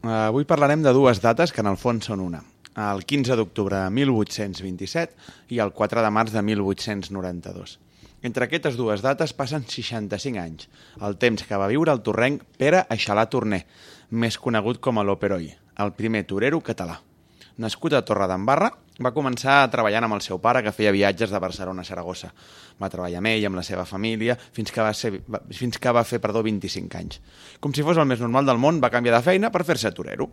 Avui parlarem de dues dates que en el fons són una. El 15 d'octubre de 1827 i el 4 de març de 1892. Entre aquestes dues dates passen 65 anys, el temps que va viure el torrenc Pere Aixalà Torner, més conegut com a l'Operoi, el primer torero català. Nascut a Torre d'Embarra, va començar treballant amb el seu pare, que feia viatges de Barcelona a Saragossa. Va treballar amb ell, amb la seva família, fins que va fer 25 anys. Com si fos el més normal del món, va canviar de feina per fer-se torero.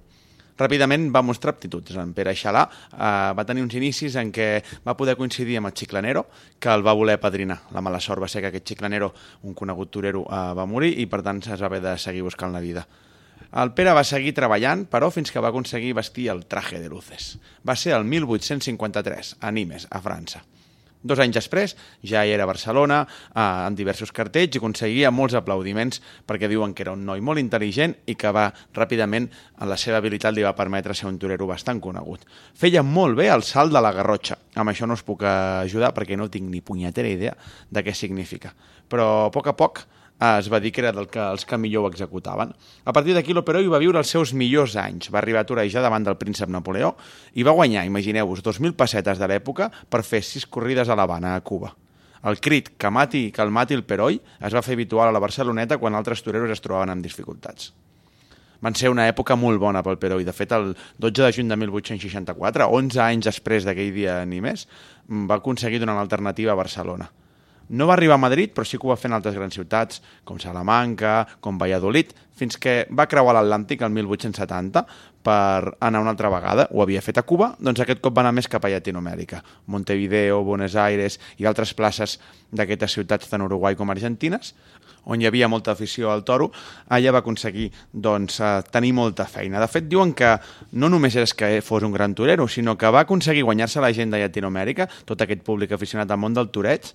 Ràpidament va mostrar aptituds. En Pere Aixalà va tenir uns inicis en què va poder coincidir amb el Chiclanero, que el va voler padrinar. La mala sort va ser que aquest Chiclanero, un conegut torero, va morir i per tant es va haver de seguir buscant la vida. El Pere va seguir treballant, però fins que va aconseguir vestir el traje de luces. Va ser el 1853, a Nimes, a França. 2 anys després, ja hi era a Barcelona, en diversos cartells, i aconseguia molts aplaudiments perquè diuen que era un noi molt intel·ligent i que ràpidament la seva habilitat li va permetre ser un torero bastant conegut. Feia molt bé el salt de la Garrotxa. Amb això no us puc ajudar perquè no tinc ni punyetera idea de què significa. Però a poc es va dir que era els que millor ho executaven. A partir d'aquí l'Operoi va viure els seus millors anys. Va arribar a torejar davant del príncep Napoleó i va guanyar, imagineu-vos, 2.000 pessetes de l'època per fer 6 corrides a l'Havana, a Cuba. El crit que el mati el Peroi es va fer habitual a la Barceloneta quan altres toreros es trobaven amb dificultats. Van ser una època molt bona pel Peroi. De fet, el 12 de juny de 1864, 11 anys després d'aquell dia a Nimes, va aconseguir donar una alternativa a Barcelona. No va arribar a Madrid, però sí que ho va fer en altres grans ciutats, com Salamanca, com Valladolid, fins que va creuar l'Atlàntic el 1870 per anar una altra vegada. Ho havia fet a Cuba, doncs aquest cop va anar més cap a Llatinoamèrica. Montevideo, Buenos Aires i altres places d'aquestes ciutats tant Uruguai com argentines, on hi havia molta afició al toro, allà va aconseguir tenir molta feina. De fet, diuen que no només és que fos un gran torero, sinó que va aconseguir guanyar-se la gent de Llatinoamèrica, tot aquest públic aficionat al món del toreig,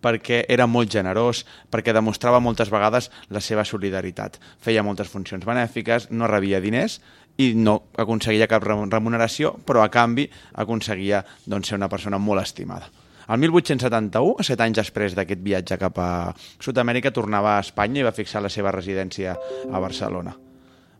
perquè era molt generós, perquè demostrava moltes vegades la seva solidaritat. Feia moltes funcions benèfiques, no rebia diners i no aconseguia cap remuneració, però a canvi aconseguia ser una persona molt estimada. El 1871, 7 anys després d'aquest viatge cap a Sud-amèrica, tornava a Espanya i va fixar la seva residència a Barcelona.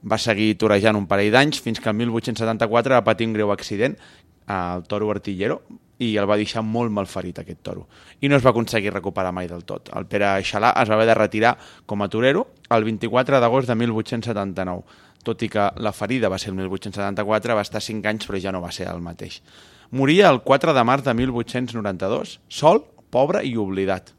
Va seguir torejant un parell d'anys fins que el 1874 va patir un greu accident al toro Artillero i el va deixar molt malferit, aquest toro. I no es va aconseguir recuperar mai del tot. El Pere Aixalà es va haver de retirar com a torero el 24 d'agost de 1879. Tot i que la ferida va ser el 1874, va estar 5 anys, però ja no va ser el mateix. Moria el 4 de març de 1892, sol, pobre i oblidat.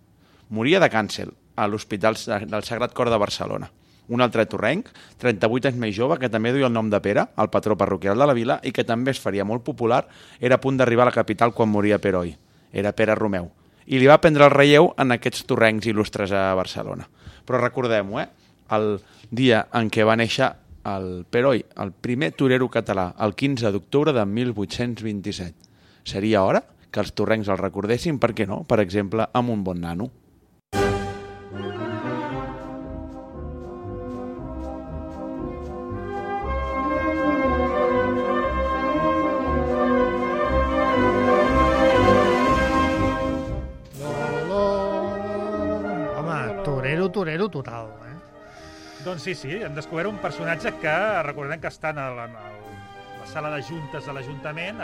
Moria de càncer a l'Hospital del Sagrat Cor de Barcelona. Un altre torrenc, 38 anys més jove, que també duia el nom de Pere, el patró parroquial de la vila, i que també es faria molt popular, era a punt d'arribar a la capital quan moria Peroi. Era Pere Romeu. I li va prendre el relleu en aquests torrencs il·lustres a Barcelona. Però recordem-ho, el dia en què va néixer el Peroi, el primer torero català, el 15 d'octubre de 1827. Seria hora que els torrencs el recordessin, per què no? Per exemple, amb un bon nano. Doncs sí, hem descobert un personatge que, recordem que està en la sala de juntes de l'Ajuntament,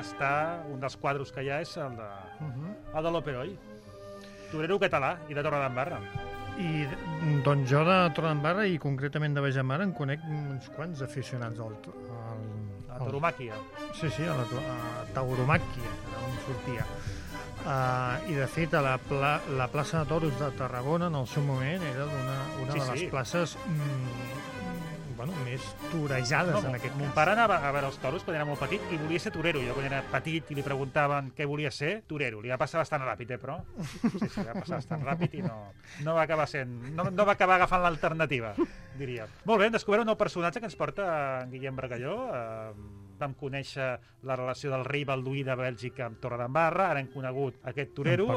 un dels quadros que hi ha és el de l'Operoi. Torero català i de Torredembarra. I doncs jo de Torredembarra i concretament de Baix de Mar en conec uns quants aficionats a tauromàquia. Sí, a tauromàquia, on sortia. I de fet la plaça de Toros de Tarragona en el seu moment era una de les places més torejades en aquest cas. Mon pare anava a veure els toros quan era molt petit i volia ser torero. Jo quan era petit i li preguntaven què volia ser, torero. Li va passar bastant ràpid, però? Sí, va passar bastant ràpid i no va acabar no va acabar agafant l'alternativa, diria. Molt bé, hem descobert un nou personatge que ens porta en Guillem Bargalló. Vam conèixer la relació del rei Balduí de Bèlgica amb Torredembarra, ara hem conegut aquest torero.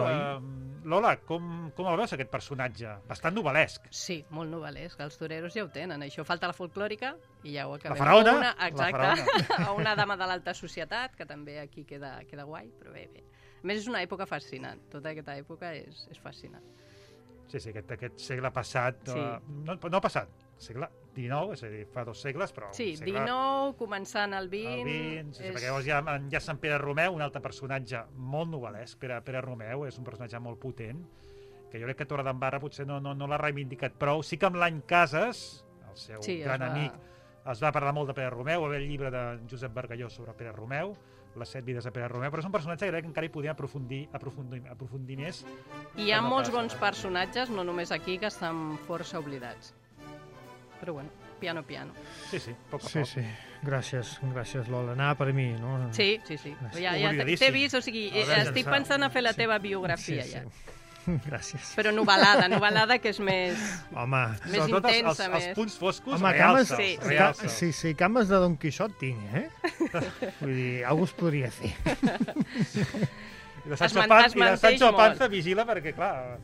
Lola, com el veus, aquest personatge? Bastant novel·lesc. Sí, molt novel·lesc. Els toreros ja ho tenen. Això falta la folclòrica i ja ho acabem. La faraona. Exacte. A una dama de l'alta societat, que també aquí queda guai, però bé. A més, és una època fascinant. Tota aquesta època és fascinant. Sí, aquest segle passat... No passat, segle XIX, és a dir, fa 2 segles, però... Sí, XIX, començant el XX... El XX, perquè llavors hi ha Sant Pere Romeu, un altre personatge molt novel·lesc. Pere Romeu és un personatge molt potent, que jo crec que Torredembarra potser no l'ha reivindicat prou. Sí que amb l'any Casas, el seu gran amic, es va parlar molt de Pere Romeu, va haver el llibre de Josep Bargalló sobre Pere Romeu, les 7 vides de Pere Romeu, però és un personatge que crec que encara hi podíem aprofundir més. Hi ha molts bons personatges, no només aquí, que estan força oblidats. Però bueno, piano. Sí, poc a poc. Sí, gràcies Lola. Anava per mi, no? Sí. Ja t'he vist, o sigui, estic pensant a fer la teva biografia ja. Gràcies. Però novel·lada que és més... Home, més intensa. Els punts foscos, sí, cames de Don Quixot tinc, Vull dir, algú es podria fer. I de Sancho Panza vigila perquè, clar...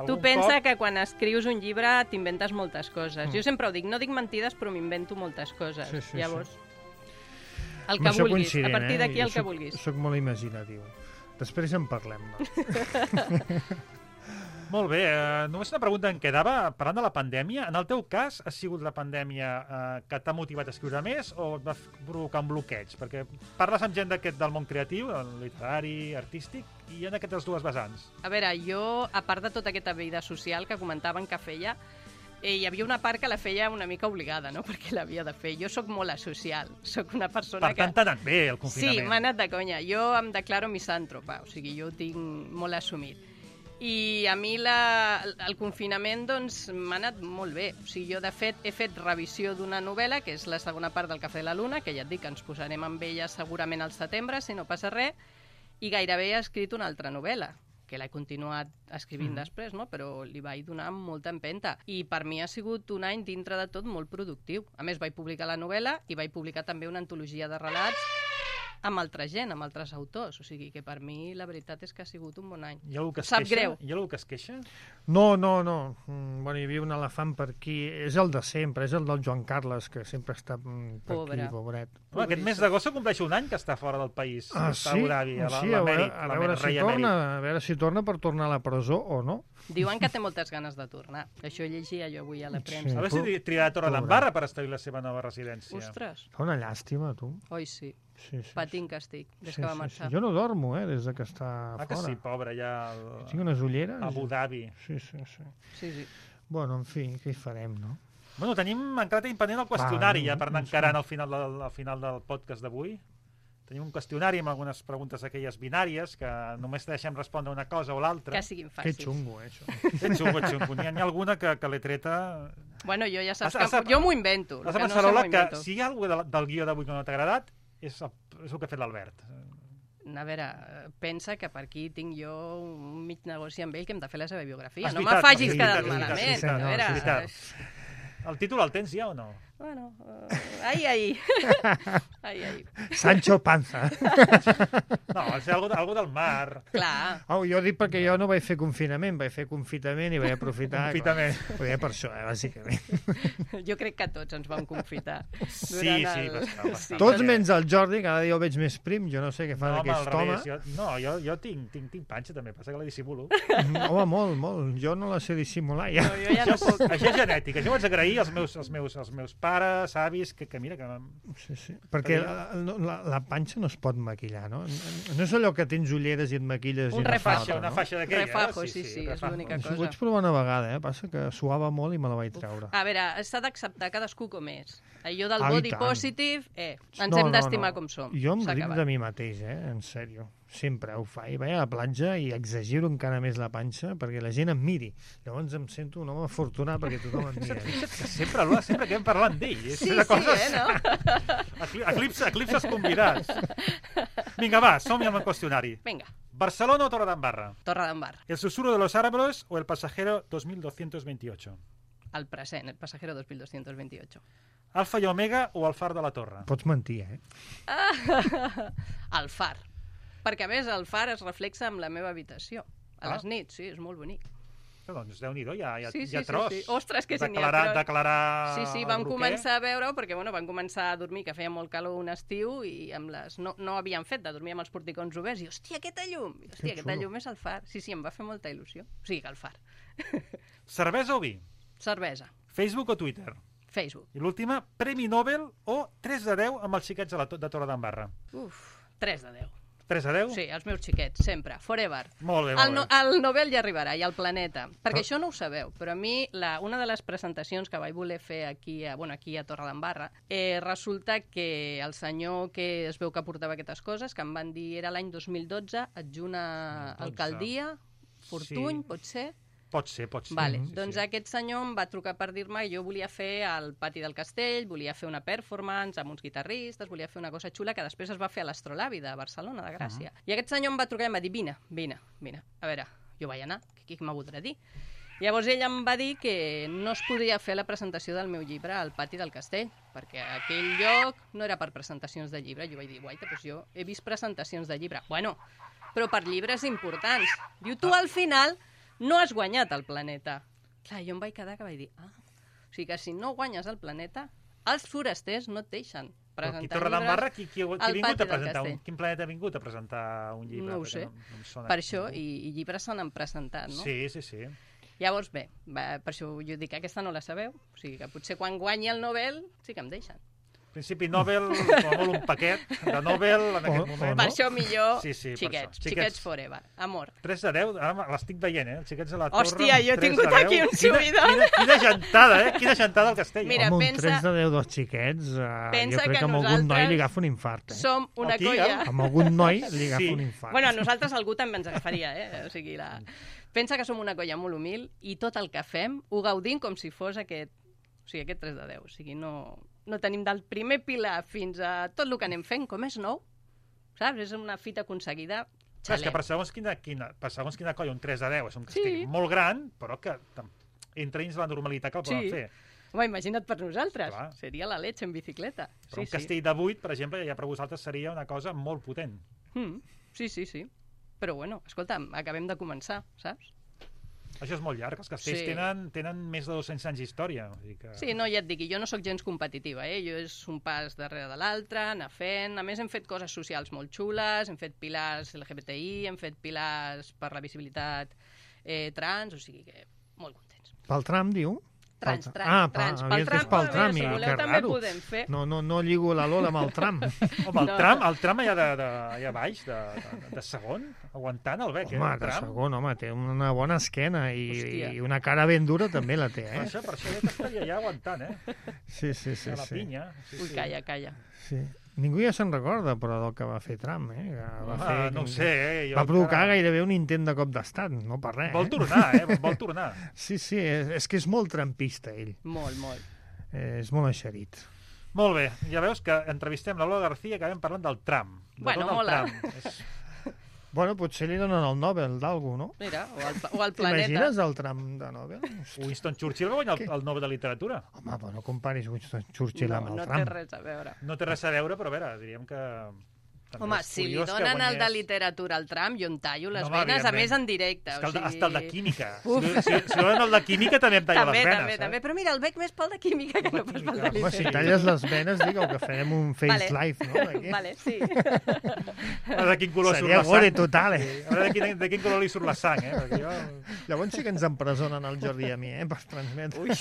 Tu pensa que quan escrius un llibre t'inventes moltes coses. Jo sempre ho dic, no dic mentides, però m'invento moltes coses. Llavors, el que vulguis, a partir d'aquí el que vulguis. Soc molt imaginatiu. Després en parlem, doncs. Molt bé, només una pregunta em quedava, parlant de la pandèmia. En el teu cas, ha sigut la pandèmia que t'ha motivat a escriure més o et va provocar un bloqueig? Perquè parles amb gent del món creatiu, el literari, artístic, i hi ha aquestes dues vessants. A veure, jo, a part de tota aquesta vida social que comentaven que feia, hi havia una part que la feia una mica obligada, no? Perquè l'havia de fer. Jo sóc molt asocial, sóc una persona que... Per tant, t'ha anat bé el confinament. Sí, m'ha anat de conya. Jo em declaro misàntropa, o sigui, jo ho tinc molt assumit. I a mi el confinament doncs m'ha anat molt bé. O sigui, jo de fet he fet revisió d'una novel·la, que és la segona part del Cafè de la Luna, que ja et dic que ens posarem amb ella segurament al setembre, si no passa res, i gairebé he escrit una altra novel·la, que l'he continuat escrivint després, no? Però li vaig donar molta empenta. I per mi ha sigut un any, dintre de tot, molt productiu. A més, vaig publicar la novel·la i vaig publicar també una antologia de relats amb altra gent, amb altres autors. O sigui que per mi la veritat és que ha sigut un bon any. Sap greu. Hi ha algú que es queixa? No. Bueno, hi havia un elefant per aquí. És el de sempre, és el del Joan Carles, que sempre està per aquí, pobret. Aquest mes d'agost compleix un any que està fora del país. Està a Abu Dhabi, a veure si torna per tornar a la presó o no. Diuen que té moltes ganes de tornar. Això llegia jo avui a la premsa. A veure si triarà Torredembarra per establir la seva nova residència. Ostres. Fa una llàstima, tu. Oi, sí. Patint que estic, des que va marxar. Jo no dormo, des de que està fora. Que sí, pobre, ja... Tinc unes ulleres. A Abu Dhabi. Sí. Bueno, en fi, què hi farem, no? Bueno, encara tenim pendent el qüestionari, ja per anar encarant al final del podcast d'avui. Tenim un qüestionari amb algunes preguntes aquelles binàries que només deixem respondre una cosa o l'altra. Que siguin fàcils. Que xungo, això. Que xungo. N'hi ha alguna que l'he treta... Bueno, jo ja saps que... Jo m'ho invento. Has de pensar, Lola, que si hi ha alguna del guió d'avui que no t'ha agradat, és el que ha fet l'Albert. A veure, pensa que per aquí tinc jo un mig negoci amb ell que hem de fer la seva biografia. No me facis quedar malament. El títol el tens ja o no? Bueno, ahí. Sancho Panza. No, ha de ser algo del mar. Clar. Jo dic perquè jo no vaig fer confinament, vaig fer confitament i vaig aprofitar. Confitament. Poder per això, bàsicament. Jo crec que tots ens vam confitar. Sí, bastant. Tots menys el Jordi, cada dia el veig més prim, jo no sé què fa d'aquest home. Jo tinc panxa també, passa que la dissimulo. Home, molt. Jo no la sé dissimular, ja. No, jo ja no puc. Això és genètic, això ho haig d'agrair als meus pares, avis, que mira que... Sí. Perquè la panxa no es pot maquillar, no? No és allò que tens ulleres i et maquilles una faixa d'aquella. Refajo, sí, és l'única cosa. Ho vaig provar una vegada, passa que suava molt i me la vaig treure. A veure, s'ha d'acceptar cadascú com és. Allò del body positive, ens hem d'estimar com som. Jo em ric de mi mateix, en sèrio. Sempre ho faig. Vaig a la platja i exagero encara més la panxa perquè la gent em miri. Llavors em sento un home afortunat perquè tothom em mira. Sempre que hem parlat d'ell. Sí, no? Eclipses convidats. Vinga, va, som-hi amb el qüestionari. Vinga. ¿Barcelona o Torredembarra? Torredembarra. ¿El susurro de los árboles o el pasajero 2228? El present, el pasajero 2228. Alfa i Omega o el far de la Torre? Pots mentir, El far. Perquè, a més, el far es reflexa amb la meva habitació. A les nits, sí, és molt bonic. Doncs Déu-n'hi-do, hi ha tros. Sí. Ostres, que si n'hi ha tros. Declarar Sí, vam començar a veure-ho, perquè vam començar a dormir, que feia molt calor un estiu, i no havíem fet de dormir amb els porticons oberts, i hòstia, aquesta llum! Aquesta llum és el far. Sí, em va fer molta il·lusió. O sigui, que el far. Cervesa o vi? Cervesa. Facebook o Twitter? Facebook. I l'última, Premi Nobel o 3 de 10 amb els xiquets de Torredembarra? 3 de 10. 3 de 10? Sí, els meus xiquets, sempre, forever. Molt bé. El Nobel ja arribarà, i el planeta. Perquè això no ho sabeu, però a mi, una de les presentacions que vaig voler fer aquí a Torredembarra, resulta que el senyor que es veu que portava aquestes coses, que em van dir, era l'any 2012, adjunt a alcaldia, Fortuny, pot ser? Pot ser. Vale. Doncs aquest senyor em va trucar per dir-me que jo volia fer al pati del castell, volia fer una performance amb uns guitarristes, volia fer una cosa xula que després es va fer a l'Astrolabi de Barcelona, de Gràcia. I aquest senyor em va trucar i em va dir, vine. A veure, jo vaig anar, què m'ha voldrà dir? Llavors ell em va dir que no es podia fer la presentació del meu llibre al pati del castell, perquè aquell lloc no era per presentacions de llibre. Jo vaig dir, guaita, doncs jo he vist presentacions de llibre. Bueno, però per llibres importants. Diu, tu al final no has guanyat el planeta. Clar, jo em vaig quedar que vaig dir, o sigui que si no guanyes el planeta, els forasters no et deixen presentar llibres Torredembarra, al pati del castell. Quin planeta ha vingut a presentar un llibre? No ho sé. Per això, i llibres se n'han presentat, no? Sí. Llavors, bé, per això jo dic que aquesta no la sabeu, o sigui que potser quan guanyi el Nobel sí que em deixen. Principi Nobel, com a molt un paquet de Nobel en aquest moment. Per això millor xiquets forever, amor. 3 de 10, ara l'estic veient, els xiquets de la Torre. Hòstia, jo he tingut aquí un subidon. Quina gentada, Quina gentada al castell. Mira, home, un 3 de 10 dels xiquets, jo crec que amb algun noi li agafa un infart. Som una colla. Amb algun noi li agafa un infart. Bueno, a nosaltres algú també ens agafaria, o sigui, pensa que som una colla molt humil i tot el que fem ho gaudim com si fos aquest 3 de 10, o sigui, no tenim del primer pilar fins a tot el que anem fent, com és nou, saps? És una fita aconseguida, xalem. És que per segons quina colla, un 3 de 10 és un castell molt gran, però que entra dins la normalitat que el poden fer. Home, imagina't per nosaltres, seria la leche en bicicleta. Però un castell de 8, per exemple, ja per vosaltres seria una cosa molt potent. Sí. Però bueno, escolta, acabem de començar, saps? Això és molt llarg, els castells tenen més de 200 anys d'història. Sí, no, ja et dic, jo no sóc gens competitiva, jo és un pas darrere de l'altre, anar fent... A més, hem fet coses socials molt xules, hem fet pilars LGBTI, hem fet pilars per la visibilitat trans, o sigui que molt contents. Pel tram, diu? Trans. Pel tram, si voleu també podem fer. No lligo la Lola amb el tram. Home, el tram allà baix, de segon, aguantant el bec, home, de segon, té una bona esquena i una cara ben dura també la té, Per això ja t'estaria allà aguantant, Sí. A la pinya. Ui, calla. Sí. Ningú ja se'n recorda, però, del que va fer Trump, No ho sé, Va provocar gairebé un intent de cop d'estat, no per res. Vol tornar. Sí, és que és molt trampista, ell. Molt. És molt eixerit. Molt bé, ja veus que entrevistem la Lola García i acabem parlant del tram. Bueno, mola. Bueno, potser li donen el Nobel d'algú, no? Mira, o el planeta. T'imagines el Trump de Nobel? Winston Churchill va guanyar el Nobel de Literatura. Home, però no comparis Winston Churchill amb el Trump. No té res a veure. No té res a veure, però a veure, diríem que... Home, si li donen el de literatura al Trump, jo em tallo les venes, a més en directe. Hasta el de química. Si donen el de química, també em tallo les venes. També. Però mira, el veig més pel de química que no pas pel de literatura. Si talles les venes, digueu que farem un face live, no? Vale, sí. A veure de quin color surt la sang. Seria gore total, A veure de quin color li surt la sang, perquè jo... Llavors sí que ens empresonen el Jordi i a mi, per transmetre. Ui.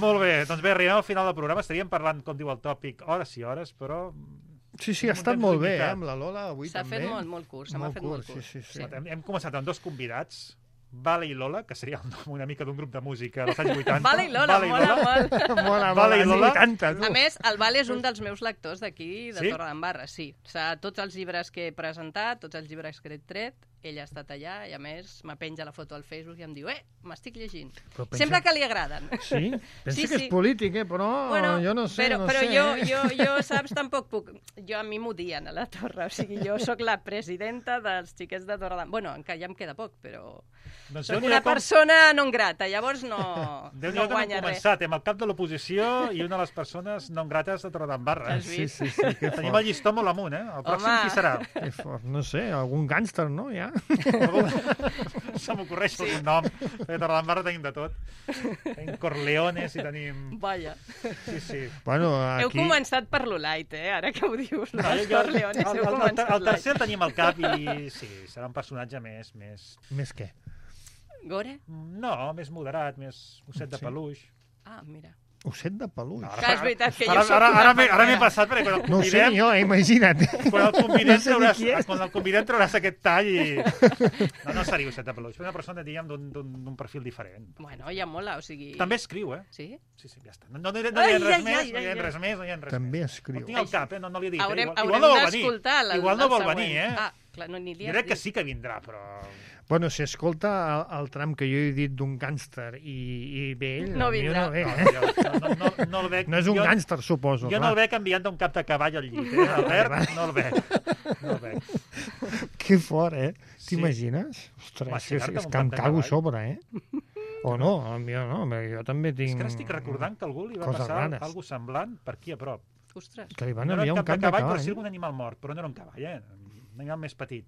Molt bé, doncs bé, arribem al final del programa. Estaríem parlant, com diu el tòpic, hores i hores, però... Sí, ha estat molt bé, amb la Lola avui també. S'ha fet molt curt, se m'ha fet molt curt. Sí. Hem començat amb 2 convidats, Vale i Lola, que seria una mica d'un grup de música dels anys 80. Vale i Lola, mola molt. Vale i Lola. A més, el Vale és un dels meus lectors d'aquí, de Torredembarra, sí. Tots els llibres que he presentat, tots els llibres que he tret, ell ha estat allà i, a més, me penja la foto al Facebook i em diu m'estic llegint. Sembla que li agraden. Sí? Pensa que és polític, però jo no sé. Però jo, saps, tampoc puc... Jo a mi m'odien a la Torre, o sigui, jo sóc la presidenta dels xiquets de Torredembarra. Bueno, encara ja em queda poc, però... Soc una persona non grata, llavors no guanya res. Començat, amb el cap de l'oposició i una de les persones non grates de Torredembarra. Sí. Tenim el llistó molt amunt, El pròxim qui serà? No sé, algun gàngster, no? Ja? Se m'ocorreix algun nom. A Torredembarra tenim de tot. Tenim Corleones i tenim... Vaja. Sí. Bueno, aquí... Heu començat per lo light, ara que ho dius. Corleones, heu començat light. El tercer el tenim al cap i sí, serà un personatge més... Més què? Gore? No, més moderat, més osset de peluix. Ah, mira. Osset de peluix. Clar, és veritat que jo soc ara m'he passat, perquè quan el convidem... No ho sé jo, imagina't. Quan el convidem trauràs aquest tall i... No seria osset de peluix. Una persona, diguem, d'un perfil diferent. Bueno, ja mola, o sigui... També escriu, Sí? Sí, ja està. No hi ha res més. També escriu. Ho tinc al cap, no li he dit. Haurem d'escoltar el següent. Igual no vol venir, Ah, clar, no n'hi Jo crec que sí que vindrà, però... Bueno, si escolta el tram que jo he dit d'un gàngster i ve ell, no vindrà. No el veig. No és un gàngster, suposo. Jo no el veig enviant d'un cap de cavall al llit, Albert, no el veig. Que fort, T'imagines? Ostres, és que em cago a sobre, O no, jo no, jo també tinc... És que ara estic recordant que algú li va passar alguna semblant per aquí a prop. Ostres. Que li van enviar un cap de cavall. Però sí un animal mort, però no era un cavall, un animal més petit.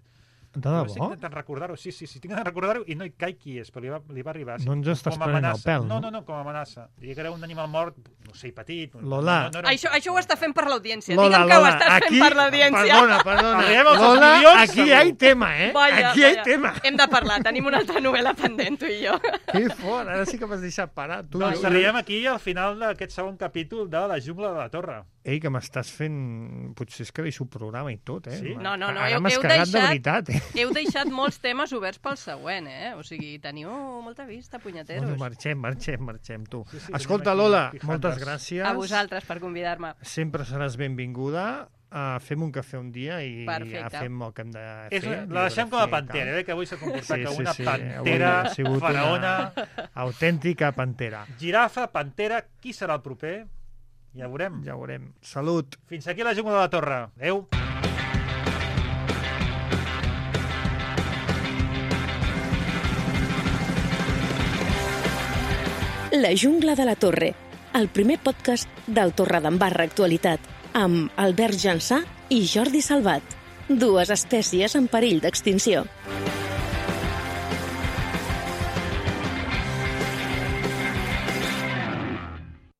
De debò? Estic intentant recordar-ho, sí, tinc de recordar-ho i no hi caic qui és, però li va arribar. No ens estàs prenent el pèl, no? No, com a amenaça. Diria que era un animal mort, no sé, petit. Lola. Això ho està fent per l'audiència. Digue'm que ho estàs fent per l'audiència. Perdona. Lola, aquí hi ha tema, Aquí hi ha tema. Hem de parlar, tenim una altra novel·la pendent, tu i jo. Que fort, ara sí que m'has deixat parar. Doncs arribem aquí al final d'aquest segon capítol de La jungla de la Torre. Ei, que m'estàs fent... Potser és que deixo el programa i tot, Sí? No, ara m'has cagat de veritat, Heu deixat molts temes oberts pel següent, O sigui, teniu molta vista, punyeteros. Bueno, marxem, tu. Escolta, Lola, moltes gràcies. A vosaltres per convidar-me. Sempre seràs benvinguda. Fem un cafè un dia i ja fem el que hem de fer. La deixem com a pantera, que avui s'ha comportat com una pantera faraona. Autèntica pantera. Girafa, pantera, qui serà el proper? Ja ho veurem. Salut. Fins aquí la jungla de la Torre. Adéu. La jungla de la Torre, el primer podcast del Torredembarra Actualitat, amb Albert Jansà i Jordi Salvat, dues espècies en perill d'extinció.